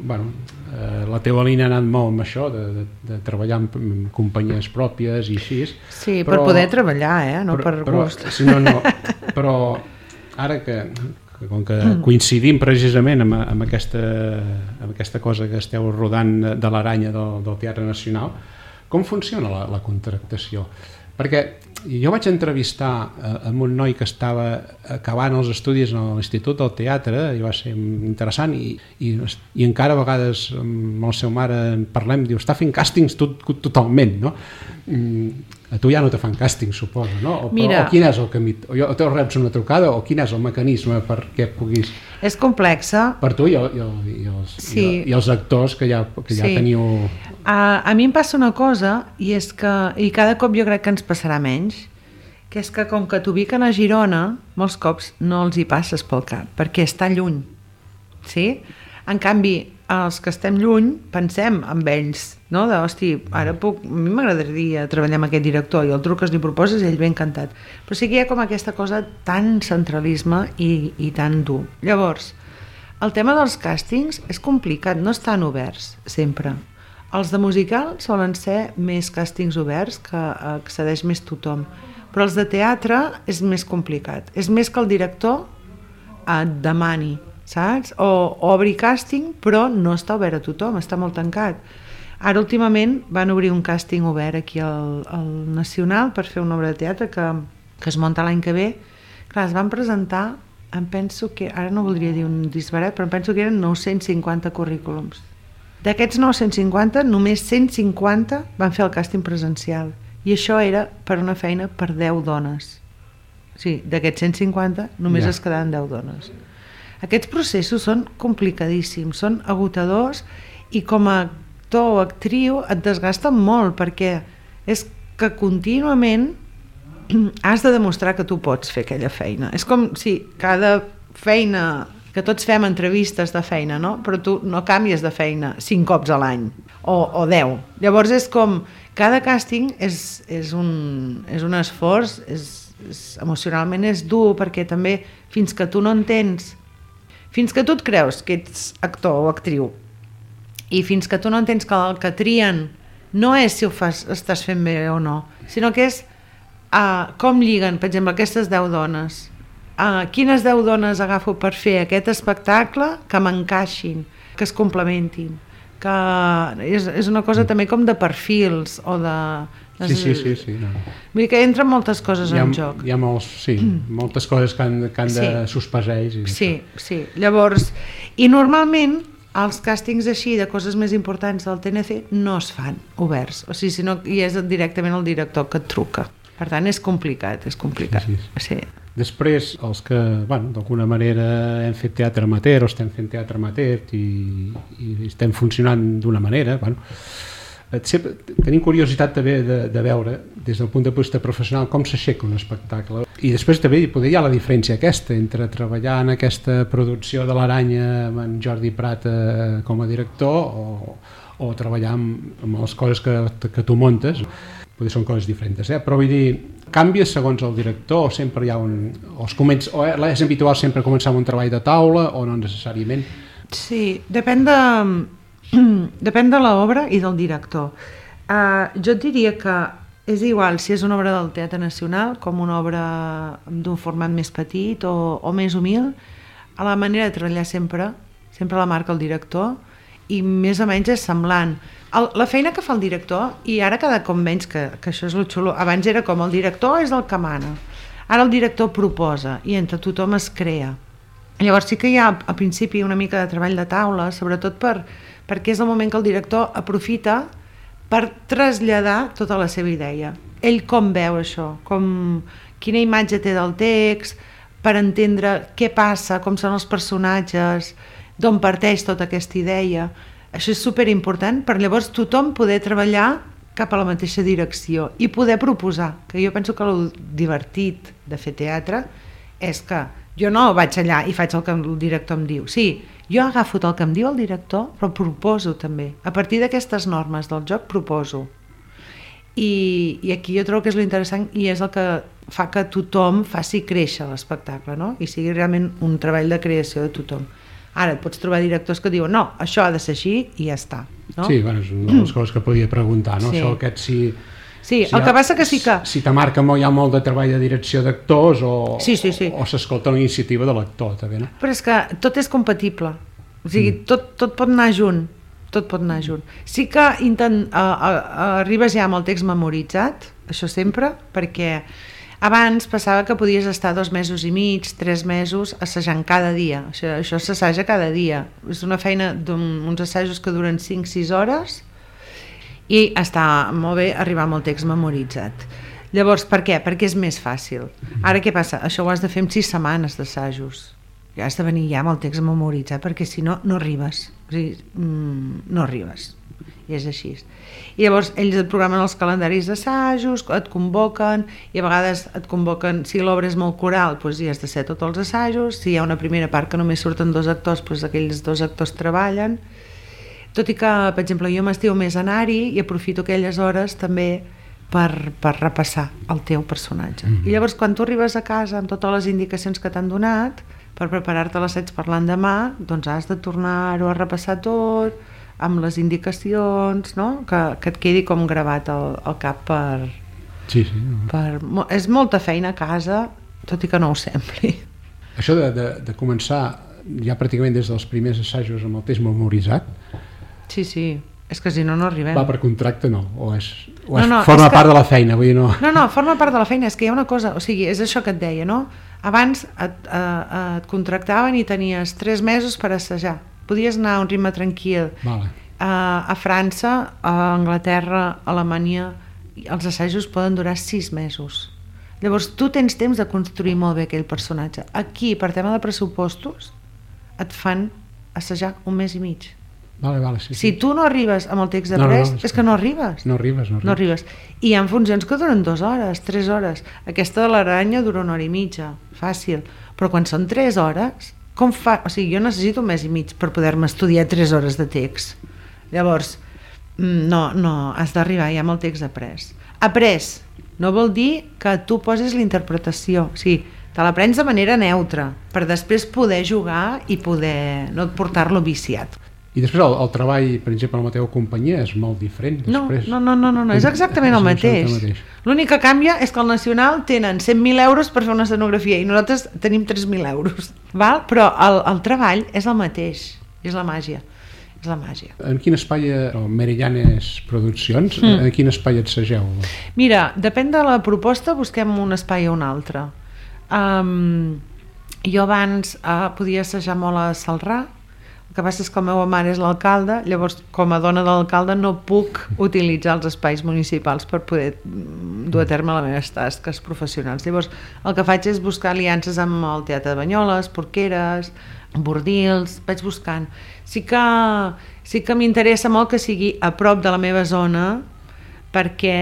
Speaker 1: bueno, eh, la teva línia ha anat molt amb això, de, de, de treballar en companyies pròpies i així.
Speaker 3: Sí, però, per poder treballar, eh? No però, per
Speaker 1: però,
Speaker 3: gust.
Speaker 1: Sí, no, no, però ara que, que com que coincidim precisament amb, amb, aquesta, amb aquesta cosa que esteu rodant de l'Aranya del, del Teatre Nacional, com funciona la, la contractació? Perquè jo vaig entrevistar amb un noi que estava acabant els estudis a l'Institut del Teatre i va ser interessant i, i, i encara a vegades amb el seu mare en parlem, diu, està fent càstings tot, totalment, no? A tu ja no te fan càstings, suposo, no? O,
Speaker 3: Mira,
Speaker 1: o quin és el camí? O, o te reps una trucada o quin és el mecanisme perquè puguis...
Speaker 3: És complexa.
Speaker 1: Per tu i, i, i, els, sí. i, i els actors que ja, que ja
Speaker 3: sí.
Speaker 1: teniu...
Speaker 3: A, a mi em passa una cosa i és que, i cada cop jo crec que ens passarà menys, que és que com que t'ubiquen a Girona, molts cops no els hi passes pel cap, perquè està lluny, sí? En canvi, els que estem lluny pensem amb ells, no? De, hosti, ara puc, a mi m'agradaria treballar amb aquest director i el truques li proposes i ell ve encantat. Però sí que hi ha com aquesta cosa tan centralisme i, i tan dur. Llavors, el tema dels càstings és complicat, no estan oberts sempre. Els de musical solen ser més càstings oberts que accedeix més tothom, però els de teatre és més complicat. És més que el director et demani, saps? O, o obri càsting, però no està obert a tothom, està molt tancat. Ara últimament van obrir un càsting obert aquí al, al Nacional per fer una obra de teatre que, que es munta l'any que ve. Clar, es van presentar, em penso que, ara no voldria dir un disbarat, però em penso que eren nou-cents cinquanta currículums. D'aquests nou-cents cinquanta, només cent cinquanta van fer el càsting presencial. I això era per una feina per deu dones. Sí, d'aquests cent cinquanta només ja. Es quedaven deu dones. Aquests processos són complicadíssims, són agotadors i com a actor o actriu et desgasten molt perquè és que contínuament has de demostrar que tu pots fer aquella feina. És com si cada feina... que tots fem entrevistes de feina, no? Però tu no canvies de feina cinc cops a l'any, o, o deu. Llavors és com, cada càsting és, és, un, és un esforç, és, és, emocionalment és dur, perquè també fins que tu no entens, fins que tu et creus que ets actor o actriu, i fins que tu no entens que el que trien no és si ho fas, estàs fent bé o no, sinó que és uh, com lliguen, per exemple, aquestes deu dones. Uh, quines deu dones agafo per fer aquest espectacle que m'encaixin, que es complementin, que és, és una cosa també com de perfils o de...
Speaker 1: Sí, sí, sí, sí, no.
Speaker 3: Vull dir que entren moltes coses
Speaker 1: hi ha,
Speaker 3: en joc.
Speaker 1: Hi ha molts, sí, moltes coses que han, que han de
Speaker 3: sí.
Speaker 1: sospesar ells. I
Speaker 3: sí, sí, llavors, i normalment els càstings així de coses més importants del T N C no es fan oberts, o sigui, sinó que és directament el director que et truca. Per tant, és complicat, és complicat. Sí, sí. Sí.
Speaker 1: Després, els que, bueno, d'alguna manera hem fet teatre amateur o estem fent teatre amateur i, i estem funcionant d'una manera, bueno, sempre, tenim curiositat també de, de veure, des del punt de vista professional, com s'aixeca un espectacle. I després també poder hi ha la diferència aquesta entre treballar en aquesta producció de l'Aranya amb en Jordi Prat eh, com a director o, o treballar amb, amb les coses que, que tu montes. Potser són coses diferents, eh? Però vull dir, canvia segons el director o sempre hi ha un... O, es comença, o és habitual sempre començar amb un treball de taula o no necessàriament?
Speaker 3: Sí, depèn de, depèn de l'obra i del director. Uh, jo et diria que és igual si és una obra del Teatre Nacional com una obra d'un format més petit o, o més humil, a la manera de treballar sempre, sempre la marca el director i més o menys és semblant. El, la feina que fa el director, i ara cada cop menys, que, que això és lo xulo, abans era com el director és el que mana, ara el director proposa i entre tothom es crea. Llavors sí que hi ha al principi una mica de treball de taula, sobretot per, perquè és el moment que el director aprofita per traslladar tota la seva idea. Ell com veu això, com, quina imatge té del text, per entendre què passa, com són els personatges, d'on parteix tota aquesta idea. Això és superimportant per llavors tothom poder treballar cap a la mateixa direcció i poder proposar, que jo penso que el divertit de fer teatre és que jo no vaig allà i faig el que el director em diu. Sí, jo agafo el que em diu el director, però proposo també. A partir d'aquestes normes del joc proposo. I, i aquí jo trobo que és l'interessant i és el que fa que tothom faci créixer l'espectacle, no? I sigui realment un treball de creació de tothom. Ara et pots trobar directors que diuen no, això ha de ser així i ja està, no?
Speaker 1: Sí, bueno, és una de les coses que podia preguntar, no? Sí. Això aquest si...
Speaker 3: Sí,
Speaker 1: si
Speaker 3: el
Speaker 1: ha,
Speaker 3: que passa que sí que...
Speaker 1: Si te marca molt, hi ha molt de treball de direcció d'actors o,
Speaker 3: sí, sí, sí.
Speaker 1: o s'escolta la iniciativa de l'actor, també, no?
Speaker 3: Però és que tot és compatible, o sigui, mm. tot, tot pot anar junt, tot pot anar junt. Sí que intent, uh, uh, uh, arribes ja amb el text memoritzat, això sempre, perquè abans passava que podies estar dos mesos i mig, tres mesos assajant cada dia, això, això s'assaja cada dia, és una feina d'uns assajos que duren cinc sis hores i està molt bé arribar amb el text memoritzat. Llavors, per què? Perquè és més fàcil. Ara què passa? Això ho has de fer en sis setmanes d'assajos, ja has de venir ja amb el text memoritzat perquè si no, no arribes, o sigui, mm, no arribes. I és així. I llavors ells et programen els calendaris d'assajos, et convoquen i a vegades et convoquen, si l'obra és molt coral, doncs hi has de ser tots els assajos, si hi ha una primera part que només surten dos actors, doncs aquells dos actors treballen, tot i que, per exemple, jo m'estimo més anar-hi i aprofito aquelles hores també per, per repassar el teu personatge. Mm-hmm. I llavors quan tu arribes a casa amb totes les indicacions que t'han donat per preparar-te l'assaig per l'endemà, doncs has de tornar-ho a repassar tot amb les indicacions, no? que, que et quedi com gravat al, al cap per,
Speaker 1: sí, sí.
Speaker 3: per... És molta feina a casa, tot i que no ho sembli.
Speaker 1: Això de, de, de començar ja pràcticament des dels primers assajos amb el text memoritzat...
Speaker 3: Sí, sí, és que si no, no arribem.
Speaker 1: Va per contracte, no? O és, o és
Speaker 3: no, no,
Speaker 1: forma
Speaker 3: és que...
Speaker 1: part de la feina? Vull dir, no...
Speaker 3: no, no, forma part de la feina, és que hi ha una cosa, o sigui, és això que et deia, no? Abans et, eh, et contractaven i tenies tres mesos per assajar. Podies anar a un ritme tranquil.
Speaker 1: Vale.
Speaker 3: Uh, a França, a Anglaterra, a Alemanya, els assajos poden durar sis mesos. Llavors tu tens temps de construir molt bé aquell personatge. Aquí, per tema de pressupostos, et fan assajar un mes i mig.
Speaker 1: Vale, vale, sí, sí.
Speaker 3: Si tu no arribes amb el text de
Speaker 1: no,
Speaker 3: pres,
Speaker 1: no, no,
Speaker 3: és que no arribes.
Speaker 1: No arribes, no arribes.
Speaker 3: No arribes. I hi ha funcions que duren dues hores, tres hores. Aquesta de l'aranya dura una hora i mitja, fàcil. Però quan són tres hores... Com fa? O sigui, jo necessito un mes i mig per poder-me estudiar tres hores de text. Llavors, no, no, has d'arribar ja amb el text après. Après no vol dir que tu posis la interpretació, o sigui, te l'aprens de manera neutra, per després poder jugar i poder no portar-lo viciat.
Speaker 1: I després el, el treball, per exemple, amb la teva companyia és molt diferent. Després...
Speaker 3: No, no, no, no, no, és exactament el mateix. mateix. L'únic que canvia és que al Nacional tenen cent mil euros per fer una escenografia i nosaltres tenim tres mil euros. Val? Però el, el treball és el mateix, és la màgia. És la màgia.
Speaker 1: En quin espai, o Merillanes Produccions, mm. en quin espai assageu?
Speaker 3: Mira, depèn de la proposta, busquem un espai o un altre. Um, jo abans uh, podia assajar molt a Celrà. El que passa és que la meva mare és l'alcalde, llavors com a dona de l'alcalde no puc utilitzar els espais municipals per poder dur a terme les meves tasques professionals. Llavors el que faig és buscar aliances amb el Teatre de Banyoles, Porqueres, Bordils, vaig buscant. Sí que, sí que m'interessa molt que sigui a prop de la meva zona perquè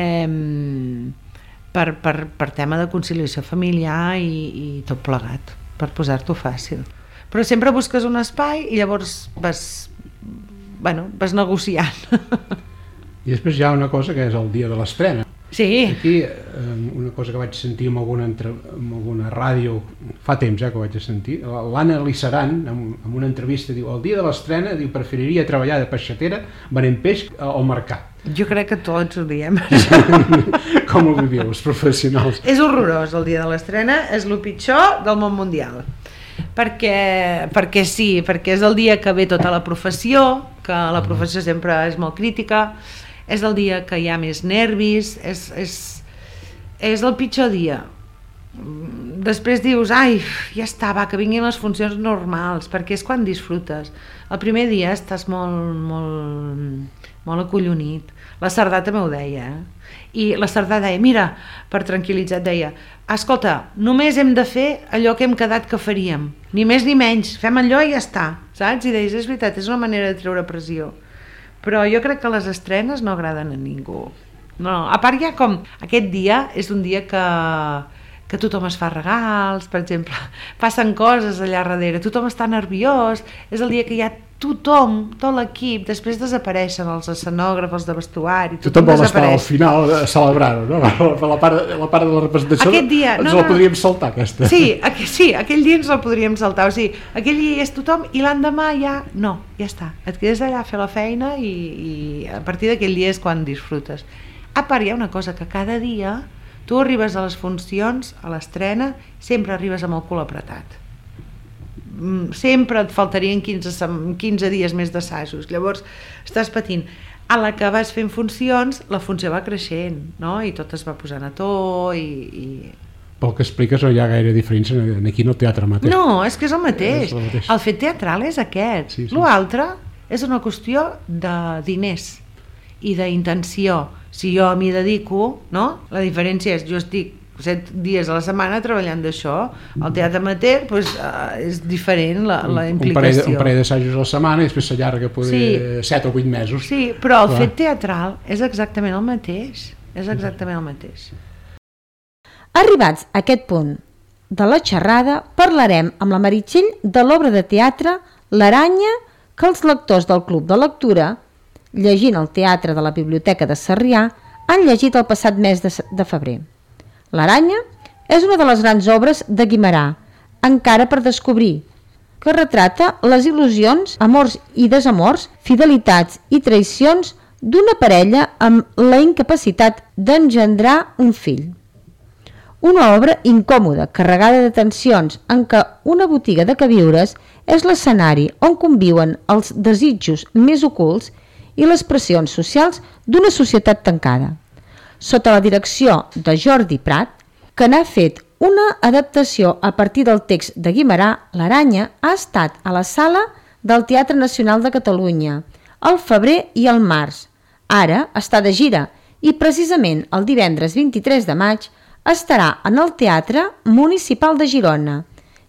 Speaker 3: per, per, per tema de conciliació familiar i, i tot plegat, per posar-t'ho fàcil. Però sempre busques un espai i llavors vas, bueno, vas negociant.
Speaker 1: I després hi ha una cosa que és el dia de l'estrena.
Speaker 3: Sí.
Speaker 1: Aquí, una cosa que vaig sentir en alguna, entre, en alguna ràdio, fa temps ja que ho vaig sentir, l'Anna Lissaran, en, en una entrevista, diu, el dia de l'estrena, diu, preferiria treballar de peixatera venent peix al mercat.
Speaker 3: Jo crec que tots ho diem.
Speaker 1: Com ho viviu, els professionals?
Speaker 3: És horrorós, el dia de l'estrena, és el pitjor del món mundial. Perquè, perquè sí, perquè és el dia que ve tota la professió, que la professió sempre és molt crítica, és el dia que hi ha més nervis, és, és, és el pitjor dia. Després dius, ai, ja està, va, que vinguin les funcions normals, perquè és quan disfrutes. El primer dia estàs molt, molt, molt acollonit. La Cerdà també ho deia, eh? I la Cerdà deia, mira, per tranquil·litzar, deia, escolta, només hem de fer allò que hem quedat que faríem, ni més ni menys, fem allò i ja està, saps? I deies, és veritat, és una manera de treure pressió. però jo crec que les estrenes no agraden a ningú. No, a part ja com aquest dia és un dia que, que tothom es fa regals, per exemple, passen coses allà darrere, tothom està nerviós, és el dia que hi ha tothom, tot l'equip, després desapareixen els escenògrafs, els de vestuari, tothom,
Speaker 1: tothom vol
Speaker 3: desapareix.
Speaker 1: estar al final a celebrar-ho, no? La part, la part de la representació
Speaker 3: Aquest dia,
Speaker 1: ens
Speaker 3: no,
Speaker 1: la
Speaker 3: no,
Speaker 1: podríem saltar, aquesta.
Speaker 3: Sí, aqu sí, aquell dia ens la podríem saltar, o sigui, aquell dia és tothom i l'endemà ja, no, ja està, et quedes allà a fer la feina i, i a partir d'aquell dia és quan disfrutes. A part hi ha una cosa que cada dia tu arribes a les funcions, a l'estrena, sempre arribes amb el cul apretat. Sempre et faltarien quinze, quinze dies més d'assajos, llavors estàs patint. A la que vas fent funcions, la funció va creixent, no? I tot es va posant a to i... i...
Speaker 1: Pel que expliques no hi ha gaire diferència aquí en el teatre mateix.
Speaker 3: No, és que és el mateix,
Speaker 1: és el, mateix.
Speaker 3: el fet teatral és aquest, sí, sí. L'altre és una qüestió de diners i d'intenció. Si jo m'hi dedico, no? La diferència és, jo estic set dies a la setmana treballant d'això, el teatre amateur pues, uh, és diferent la, la implicació.
Speaker 1: Un parell d'assajos a la setmana i després s'allarga poder sí. set o vuit mesos.
Speaker 3: Sí, però el Clar. fet teatral és exactament el mateix, és exactament el mateix.
Speaker 2: Arribats a aquest punt de la xerrada, parlarem amb la Meritxell de l'obra de teatre L'Aranya, que els lectors del Club de Lectura, llegint el teatre de la Biblioteca de Sarrià, han llegit el passat mes de, de febrer. L'Aranya és una de les grans obres de Guimerà, encara per descobrir, que retrata les il·lusions, amors i desamors, fidelitats i traïcions d'una parella amb la incapacitat d'engendrar un fill. Una obra incòmoda, carregada de tensions, en què una botiga de queviures és l'escenari on conviuen els desitjos més ocults i les pressions socials d'una societat tancada. Sota la direcció de Jordi Prat, que n'ha fet una adaptació a partir del text de Guimerà, L'Aranya ha estat a la sala del Teatre Nacional de Catalunya al febrer i al març. Ara està de gira i precisament el divendres vint-i-tres de maig estarà en el Teatre Municipal de Girona,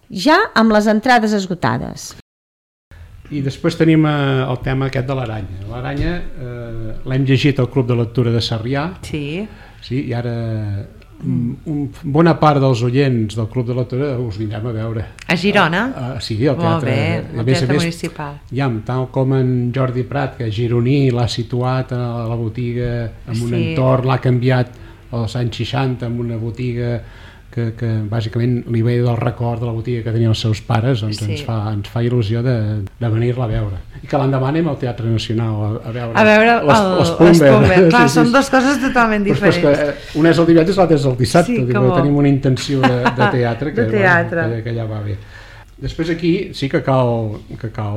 Speaker 2: ja amb les entrades esgotades.
Speaker 1: I després tenim eh, el tema aquest de l'Aranya. L'Aranya eh, l'hem llegit al Club de Lectura de Sarrià.
Speaker 3: Sí.
Speaker 1: Sí, i ara mm. un, bona part dels oients del Club de Lectura us vindrem a veure.
Speaker 3: A Girona?
Speaker 1: A, a, sí, al teatre,
Speaker 3: bé, al
Speaker 1: més,
Speaker 3: teatre
Speaker 1: més,
Speaker 3: municipal.
Speaker 1: Ja, tal com en Jordi Prat, que gironí l'ha situat a la botiga en un sí. entorn, l'ha canviat als anys seixanta amb una botiga que, que bàsicament li ve del record de la botiga que tenien els seus pares, doncs sí. ens, fa, ens fa il·lusió de, de venir-la a veure. I que l'endemà anem al Teatre Nacional a, a veure,
Speaker 3: a veure les, el, les Pumber. Clar, sí, són sí. dues coses totalment diferents.
Speaker 1: Però és que una és el divendres i l'altra és el dissabte, sí, dic, tenim una intenció de, de teatre que,
Speaker 3: de teatre.
Speaker 1: Bueno, que, que ja va bé. Després aquí sí que cal, que cal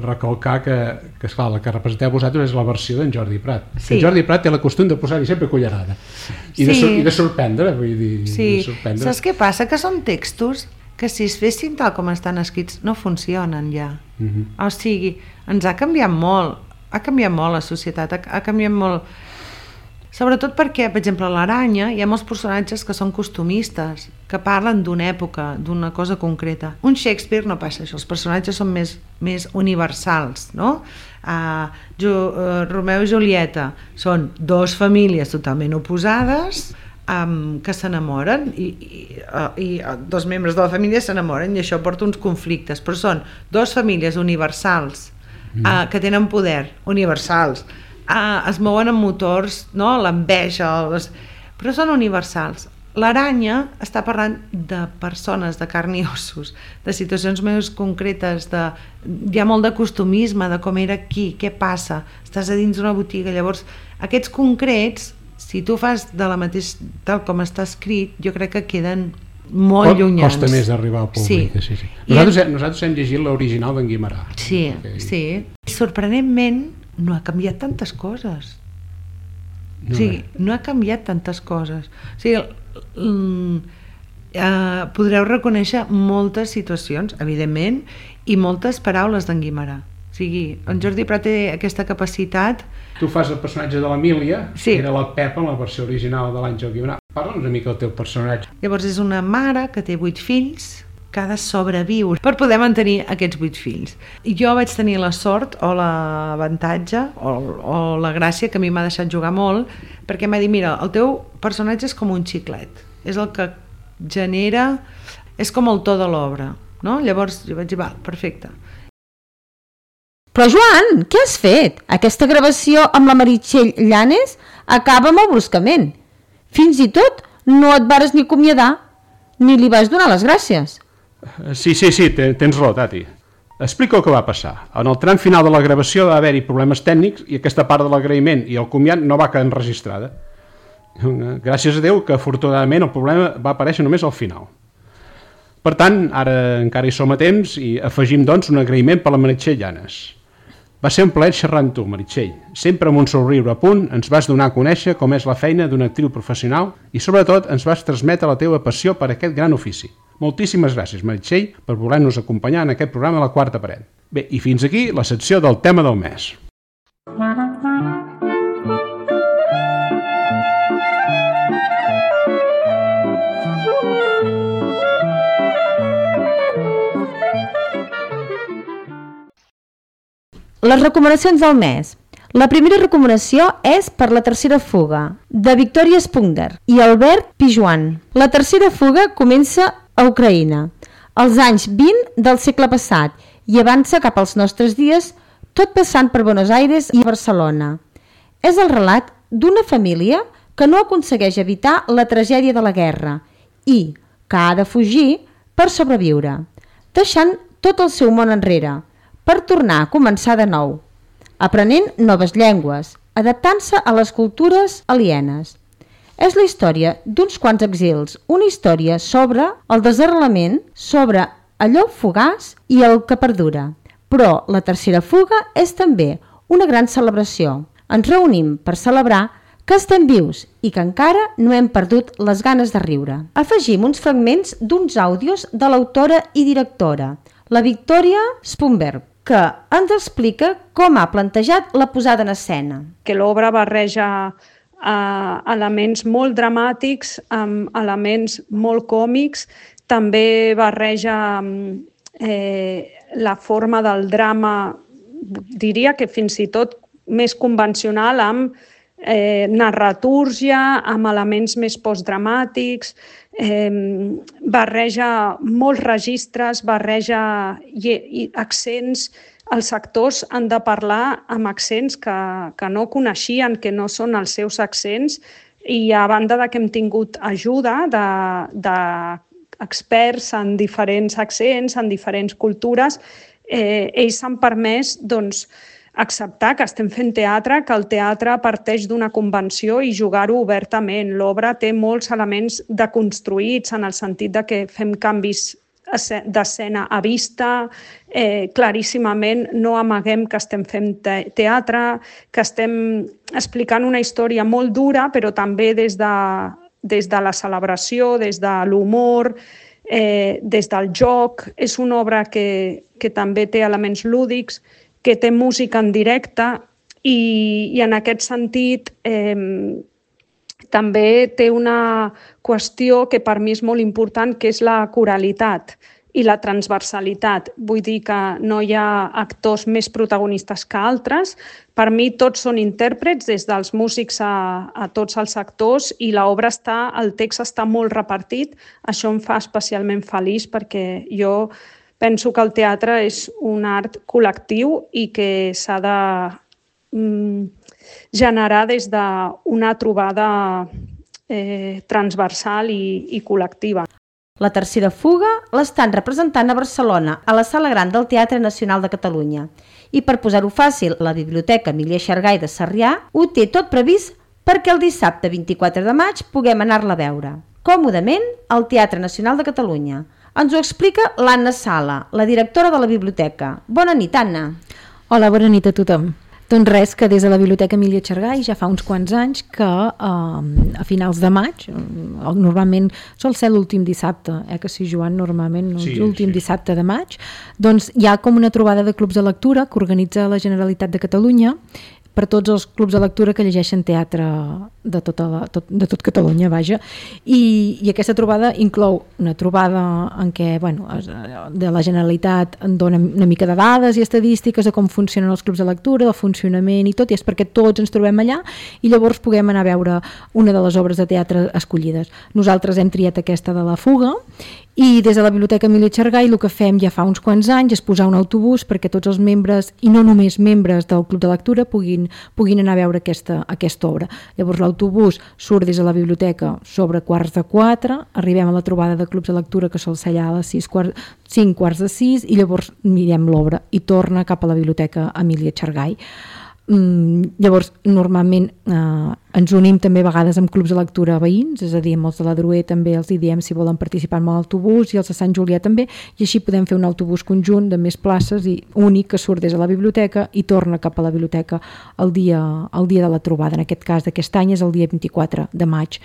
Speaker 1: recalcar que, que esclar, la que representeu vosaltres és la versió d'en Jordi Prat. Sí. En Jordi Prat té la costum de posar-hi sempre cullerada i, sí. de, i de sorprendre, vull dir,
Speaker 3: sí.
Speaker 1: de sorprendre.
Speaker 3: Saps què passa? Que són textos que si es fessin tal com estan escrits no funcionen ja. Uh -huh. O sigui, ens ha canviat molt, ha canviat molt la societat, ha, ha canviat molt. Sobretot perquè, per exemple, a l'Aranya hi ha molts personatges que són costumistes, que parlen d'una època, d'una cosa concreta. Un Shakespeare no passa això, els personatges són més, més universals, no? Uh, jo, uh, Romeu i Julieta són dos famílies totalment oposades um, que s'enamoren i, i, uh, i uh, dos membres de la família s'enamoren i això porta uns conflictes, però són dos famílies universals uh, que tenen poder, universals, Uh, es mouen amb motors, no? L'enveja, les... però són universals. L'Aranya està parlant de persones, de carn i ossos, de situacions més concretes, de... hi ha molt de costumisme, de com era aquí, què passa, estàs a dins d'una botiga, llavors aquests concrets, si tu fas de la mateixa, tal com està escrit, jo crec que queden molt llunyans.
Speaker 1: Costa més d'arribar al públic. Sí. Sí, sí. Nosaltres, en... nosaltres hem llegit l'original d'en Guimerà.
Speaker 3: Sí, okay. sí. Sorprenentment no ha canviat tantes coses. No, o sigui, no ha canviat tantes coses. O sigui, mm, eh, podreu reconèixer moltes situacions, evidentment, i moltes paraules d'en Guimerà. O sigui, en Jordi Prat té aquesta capacitat.
Speaker 1: Tu fas el personatge de l'Emília,
Speaker 3: sí.
Speaker 1: que era la Pepa en la versió original de l'Àngel Guimerà. Parla'ns una mica del teu personatge.
Speaker 3: Llavors és una mare que té vuit fills, que ha de sobreviure per poder mantenir aquests vuit fills. I jo vaig tenir la sort o l'avantatge o, o la gràcia que a mi m'ha deixat jugar molt, perquè m'ha dit, mira, el teu personatge és com un xiclet, és el que genera, és com el to de l'obra, no? Llavors jo vaig dir, va, perfecte.
Speaker 2: Però Joan, què has fet? Aquesta gravació amb la Meritxell Llanes acaba molt bruscament. Fins i tot no et vares ni acomiadar, ni li vas donar les gràcies.
Speaker 1: Sí, sí, sí, tens raó, Tati. Explica el que va passar. En el tram final de la gravació va haver-hi problemes tècnics i aquesta part de l'agraïment i el comiat no va quedar enregistrada. Gràcies a Déu que afortunadament el problema va aparèixer només al final. Per tant, ara encara hi som a temps i afegim doncs un agraïment per la Meritxell Llanes. Va ser un plaer xerrar amb tu, Meritxell. Sempre amb un somriure a punt ens vas donar a conèixer com és la feina d'una actriu professional i sobretot ens vas transmetre la teva passió per aquest gran ofici. Moltíssimes gràcies, Meritxell, per voler-nos acompanyar en aquest programa La Quarta Paret. Bé, i fins aquí la secció del tema del mes.
Speaker 2: Les recomanacions del mes. La primera recomanació és per La tercera fuga, de Victoria Spunger i Albert Pijuan. La tercera fuga comença a Ucraïna, als anys vint del segle passat, i avança cap als nostres dies, tot passant per Buenos Aires i Barcelona. És el relat d'una família que no aconsegueix evitar la tragèdia de la guerra i que ha de fugir per sobreviure, deixant tot el seu món enrere, per tornar a començar de nou, aprenent noves llengües, adaptant-se a les cultures alienes. És la història d'uns quants exils, una història sobre el desarrelament, sobre allò fugaç i el que perdura. Però la tercera fuga és també una gran celebració. Ens reunim per celebrar que estem vius i que encara no hem perdut les ganes de riure. Afegim uns fragments d'uns àudios de l'autora i directora, la Victoria Spunger, que ens explica com ha plantejat la posada en escena.
Speaker 4: Que l'obra barreja eh, elements molt dramàtics amb elements molt còmics, també barreja eh, la forma del drama, diria que fins i tot més convencional, amb eh, narratúrgia, amb elements més postdramàtics, eh, barreja molts registres, barreja i, i accents. Els actors han de parlar amb accents que, que no coneixien, que no són els seus accents, i a banda de que hem tingut ajuda de, de experts en diferents accents, en diferents cultures, eh, ells s'han permès doncs, acceptar que estem fent teatre, que el teatre parteix d'una convenció i jugar-ho obertament. L'obra té molts elements deconstruïts en el sentit de que fem canvis d'escena a vista, eh, claríssimament no amaguem que estem fent te teatre, que estem explicant una història molt dura, però també des de, des de la celebració, des de l'humor, eh, des del joc. És una obra que, que també té elements lúdics, que té música en directe i, i en aquest sentit eh, també té una qüestió que per mi és molt important, que és la coralitat i la transversalitat. Vull dir que no hi ha actors més protagonistes que altres. Per mi tots són intèrprets, des dels músics a, a tots els actors, i l'obra està, el text està molt repartit. Això em fa especialment feliç perquè jo penso que el teatre és un art col·lectiu i que s'ha de mm, generar des d'una trobada eh, transversal i, i col·lectiva.
Speaker 2: La tercera fuga l'estan representant a Barcelona, a la Sala Gran del Teatre Nacional de Catalunya. I per posar-ho fàcil, la Biblioteca Emília Xargay de Sarrià ho té tot previst perquè el dissabte vint-i-quatre de maig puguem anar-la a veure, còmodament, al Teatre Nacional de Catalunya. Ens ho explica l'Anna Sala, la directora de la biblioteca. Bona nit, Anna.
Speaker 5: Hola, bona nit a tothom. Doncs res, que des de la Biblioteca Emília Xargay ja fa uns quants anys que eh, a finals de maig, normalment sol ser l'últim dissabte, eh, que si Joan normalment sí, l'últim sí. dissabte de maig, doncs hi ha com una trobada de clubs de lectura que organitza la Generalitat de Catalunya per tots els clubs de lectura que llegeixen teatre de, tota la, tot, de tot Catalunya, vaja. I, i aquesta trobada inclou una trobada en què, bueno, de la Generalitat en dona una mica de dades i estadístiques de com funcionen els clubs de lectura, del funcionament i tot, i és perquè tots ens trobem allà i llavors puguem anar a veure una de les obres de teatre escollides. Nosaltres hem triat aquesta de La Fuga, i des de la Biblioteca Emília Xargay el que fem ja fa uns quants anys és posar un autobús perquè tots els membres, i no només membres del Club de Lectura, puguin, puguin anar a veure aquesta, aquesta obra. Llavors l'autobús surt des de la biblioteca sobre quarts de quatre, arribem a la trobada de clubs de lectura que sol ser allà a les sis, quart, cinc quarts de sis, i llavors mirem l'obra i torna cap a la Biblioteca Emília Xargay. Mm, llavors normalment eh, ens unim també a vegades amb clubs de lectura veïns, és a dir, amb els de la Druer també els hi diem si volen participar en l'autobús, i els de Sant Julià també, i així podem fer un autobús conjunt de més places i únic que surt des de la biblioteca i torna cap a la biblioteca el dia, el dia de la trobada. En aquest cas d'aquest any és el dia vint-i-quatre de maig.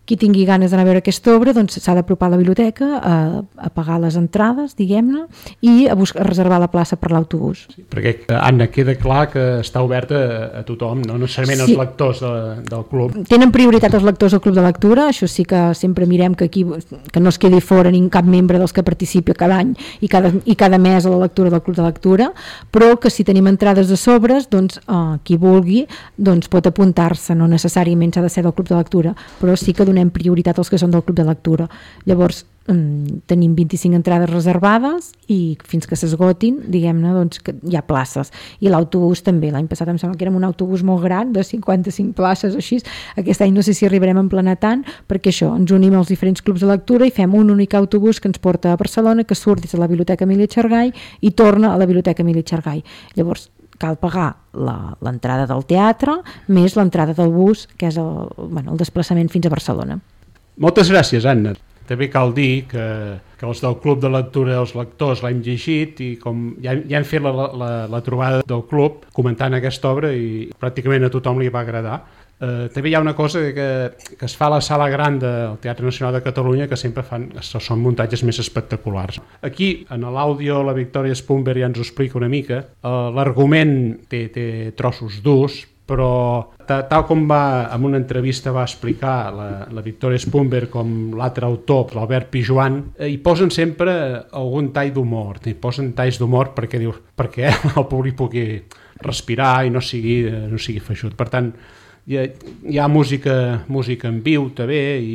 Speaker 5: Qui tingui ganes d'anar a veure aquesta obra doncs s'ha d'apropar a la biblioteca, a, a pagar les entrades, diguem-ne, i a, buscar, a reservar la plaça per l'autobús.
Speaker 1: Sí, perquè, Anna, queda clar que està oberta a, a tothom, no necessàriament sí. Els lectors de, del club.
Speaker 5: Tenen prioritat els lectors del club de lectura, això sí que sempre mirem que aquí que no es quedi fora ni cap membre dels que participi cada any i cada, i cada mes a la lectura del club de lectura, però que si tenim entrades de sobres, doncs eh, qui vulgui doncs pot apuntar-se, no necessàriament s'ha de ser del club de lectura, però sí que donem prioritat als que són del club de lectura. Llavors mm, tenim vint-i-cinc entrades reservades i fins que s'esgotin, diguem-ne, doncs que hi ha places. I l'autobús també, l'any passat em sembla que érem un autobús molt gran, de cinquanta-cinc places o així. Aquest any no sé si arribarem a emplenar tant, perquè això, ens unim als diferents clubs de lectura i fem un únic autobús que ens porta a Barcelona, que surt des de la Biblioteca Emília Xargay i torna a la Biblioteca Emília Xargay. Llavors cal pagar l'entrada del teatre més l'entrada del bus, que és el, bueno, el desplaçament fins a Barcelona.
Speaker 1: Moltes gràcies, Anna. També cal dir que, que els del Club de Lectura, els lectors, l'hem llegit i com ja, ja hem fet la, la, la trobada del club comentant aquesta obra i pràcticament a tothom li va agradar. Eh, també hi ha una cosa que, que es fa a la sala gran del Teatre Nacional de Catalunya, que sempre fan, són muntatges més espectaculars. Aquí, en l'àudio, la Victòria Spunber ja ens ho explica una mica. Eh, l'argument té, té trossos durs, però tal com va, en una entrevista va explicar la, la Victòria Spunber com l'altre autor, l'Albert Pijoan, eh, hi posen sempre algun tall d'humor, hi posen talls d'humor perquè diu, perquè el públic pugui respirar i no sigui, no sigui feixut. Per tant, hi ha, hi ha música, música en viu també i,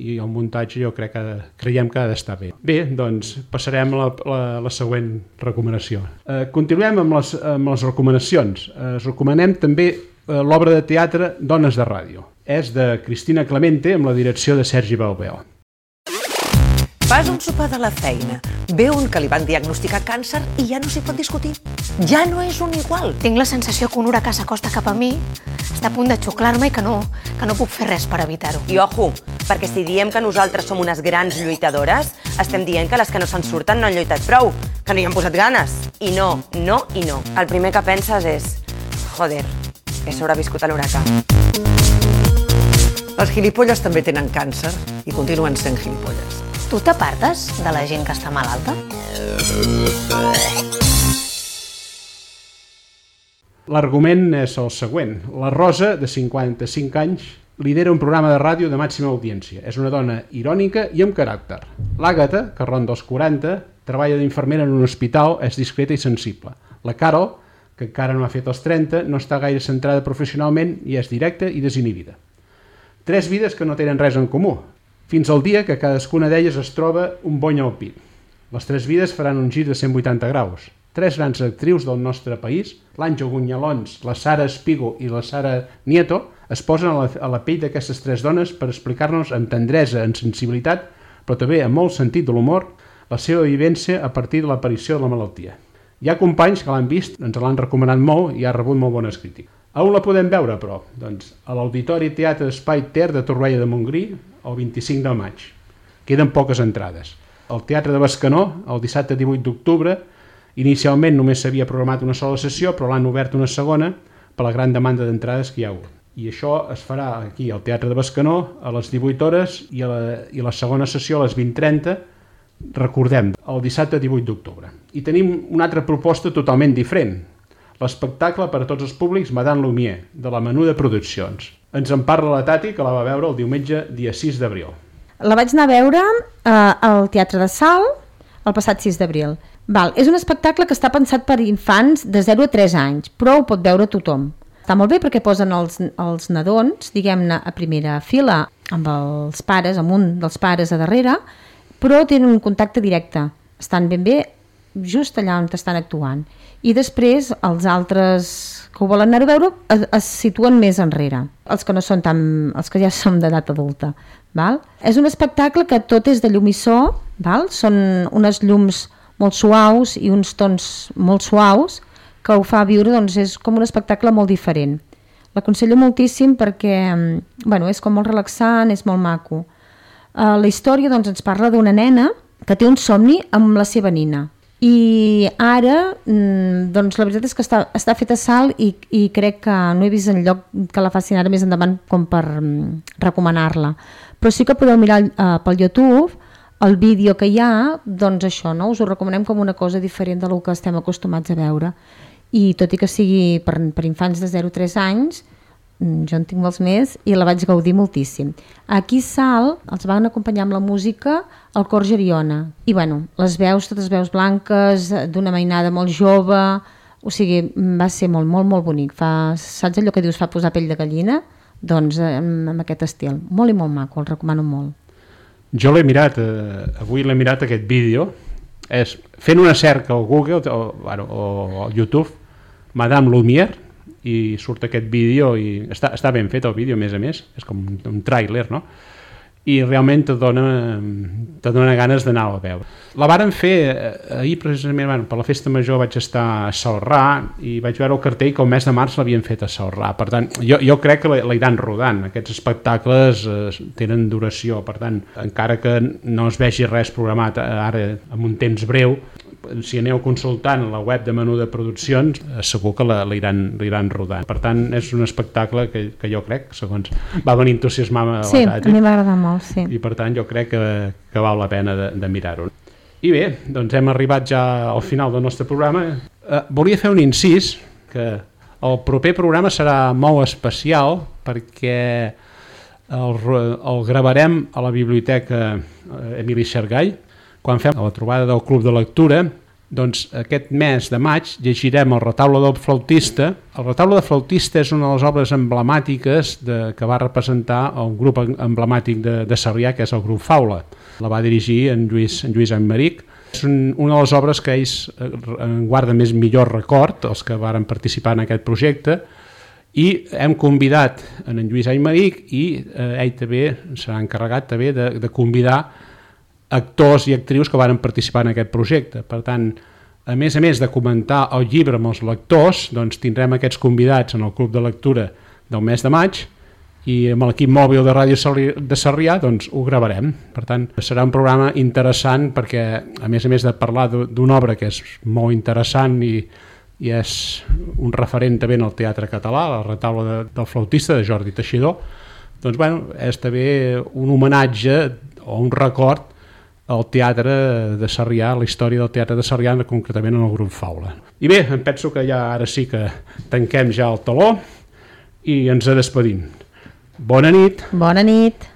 Speaker 1: i el muntatge jo crec que creiem que ha d'estar bé. Bé, doncs passarem a la, la, la següent recomanació. Eh, continuem amb les, amb les recomanacions. Eh, us recomanem també eh, l'obra de teatre Dones de Ràdio. És de Cristina Clemente amb la direcció de Sergi Balbeo.
Speaker 6: Fas un sopar de la feina, ve un que li van diagnosticar càncer i ja no s'hi pot discutir. Ja no és un igual.
Speaker 7: Tinc la sensació que un huracà s'acosta cap a mi, està a punt de xuclar-me i que no, que no puc fer res per evitar-ho.
Speaker 8: I ojo, perquè si diem que nosaltres som unes grans lluitadores, estem dient que les que no se'n surten no han lluitat prou, que no hi han posat ganes. I no, no i no. El primer que penses és, joder, he sobreviscut a l'huracà.
Speaker 6: Els gilipolles també tenen càncer i continuen sent gilipolles.
Speaker 7: Tu t'apartes de la gent que està malalta?
Speaker 1: L'argument és el següent. La Rosa, de cinquanta-cinc anys, lidera un programa de ràdio de màxima audiència. És una dona irònica i amb caràcter. L'Àgata, que ronda els quaranta, treballa d'infermera en un hospital, és discreta i sensible. La Carol, que encara no ha fet els trenta, no està gaire centrada professionalment i és directa i desinhibida. Tres vides que no tenen res en comú, fins al dia que cadascuna d'elles es troba un bony al pit. Les tres vides faran un gir de cent vuitanta graus. Tres grans actrius del nostre país, l'Àngel Gunyalons, la Sara Espigo i la Sara Nieto, es posen a la, a la pell d'aquestes tres dones per explicar-nos amb tendresa, amb sensibilitat, però també amb molt sentit de l'humor, la seva vivència a partir de l'aparició de la malaltia. Hi ha companys que l'han vist, ens l'han recomanat molt i ha rebut molt bones crítiques. A on la podem veure, però? Doncs a l'Auditori Teatre Espai Ter de Torroella de Montgrí, el vint-i-cinc de maig. Queden poques entrades. Al Teatre de Bescanó, el dissabte divuit d'octubre, inicialment només s'havia programat una sola sessió, però l'han obert una segona per la gran demanda d'entrades que hi ha hagut. I això es farà aquí al Teatre de Bescanó a les divuit hores i, a la, i la segona sessió a les vint trenta, recordem, el dissabte divuit d'octubre. I tenim una altra proposta totalment diferent. l'espectacle per a tots els públics Madame Lumière, de la Menuda Produccions. Ens en parla la Tati, que la va veure el diumenge dia sis d'abril.
Speaker 2: La vaig anar a veure eh, al Teatre de Salt el passat sis d'abril. Val, és un espectacle que està pensat per infants de zero a tres anys, però ho pot veure tothom. Està molt bé perquè posen els, els nadons, diguem-ne, a primera fila amb els pares, amb un dels pares a darrere, però tenen un contacte directe. Estan ben bé just allà on estan actuant. I després els altres que ho volen anar a veure es, es situen més enrere, els que no són tan, els que ja som d'edat adulta. Val? És un espectacle que tot és de llum i so, val? Són unes llums molt suaus i uns tons molt suaus que ho fa viure, doncs és com un espectacle molt diferent. L'aconsello moltíssim perquè bueno, és com molt relaxant, és molt maco. Uh, la història doncs, ens parla d'una nena que té un somni amb la seva nina. I ara, doncs la veritat és que està, està fet a Salt i, i crec que no he vist enlloc que la facin ara més endavant com per um, recomanar-la. Però sí que podeu mirar uh, pel YouTube el vídeo que hi ha, doncs això, no? Us ho recomanem com una cosa diferent del que estem acostumats a veure. I tot i que sigui per, per infants de zero a tres anys, jo en tinc molts més i la vaig gaudir moltíssim. Aquí a Salt els van acompanyar amb la música el cor Geriona i bueno, les veus, totes veus blanques d'una mainada molt jove, o sigui, va ser molt, molt, molt bonic. Fa, saps allò que dius fa posar pell de gallina? Doncs amb, amb aquest estil, molt i molt maco, el recomano molt.
Speaker 1: Jo l'he mirat, eh, avui l'he mirat aquest vídeo, és fent una cerca al Google o, bueno, o al YouTube, Madame Lumière, i surt aquest vídeo i està, està ben fet el vídeo, a més a més, és com un, un tràiler, no? I realment te dona, te dona ganes d'anar a veure. La varen fer ahir precisament, bueno, per la festa major vaig estar a Celrà i vaig veure el cartell que el mes de març l'havien fet a Celrà. Per tant, jo, jo crec que l'aniran rodant. Aquests espectacles eh, tenen duració, per tant, encara que no es vegi res programat ara en un temps breu, si aneu consultant la web de Menuda Produccions, segur que l'aniran rodant. Per tant, és un espectacle que, que jo crec, segons va venir entusiasmar a la
Speaker 2: Sí,
Speaker 1: Tati,
Speaker 2: a mi m'agrada molt, sí.
Speaker 1: I per tant jo crec que, que val la pena de, de mirar-ho. I bé, doncs hem arribat ja al final del nostre programa. Eh, volia fer un incís, que el proper programa serà molt especial perquè el, el gravarem a la Biblioteca Emili Xargall, quan fem la trobada del Club de Lectura. Doncs aquest mes de maig llegirem el Retaule del Flautista. El Retaule del Flautista és una de les obres emblemàtiques de, que va representar el grup emblemàtic de, de Sarrià, que és el grup Faula. La va dirigir en Lluís, en Lluís Aymeric. És un, una de les obres que ells guarda més millor record, els que varen participar en aquest projecte, i hem convidat en, en Lluís Aymeric i eh, ell també serà encarregat també de, de convidar actors i actrius que varen participar en aquest projecte. Per tant, a més a més de comentar el llibre amb els lectors, doncs tindrem aquests convidats en el Club de Lectura del mes de maig i amb l'equip mòbil de Ràdio de Sarrià doncs ho gravarem. Per tant, serà un programa interessant perquè, a més a més de parlar d'una obra que és molt interessant i, i és un referent també en el teatre català, la Retaule de, del Flautista, de Jordi Teixidor, doncs bueno, és també un homenatge o un record al teatre de Sarrià, la història del teatre de Sarrià, concretament en el grup Faula. I bé, em penso que ja ara sí que tanquem ja el teló i ens despedim. Bona nit.
Speaker 2: Bona nit.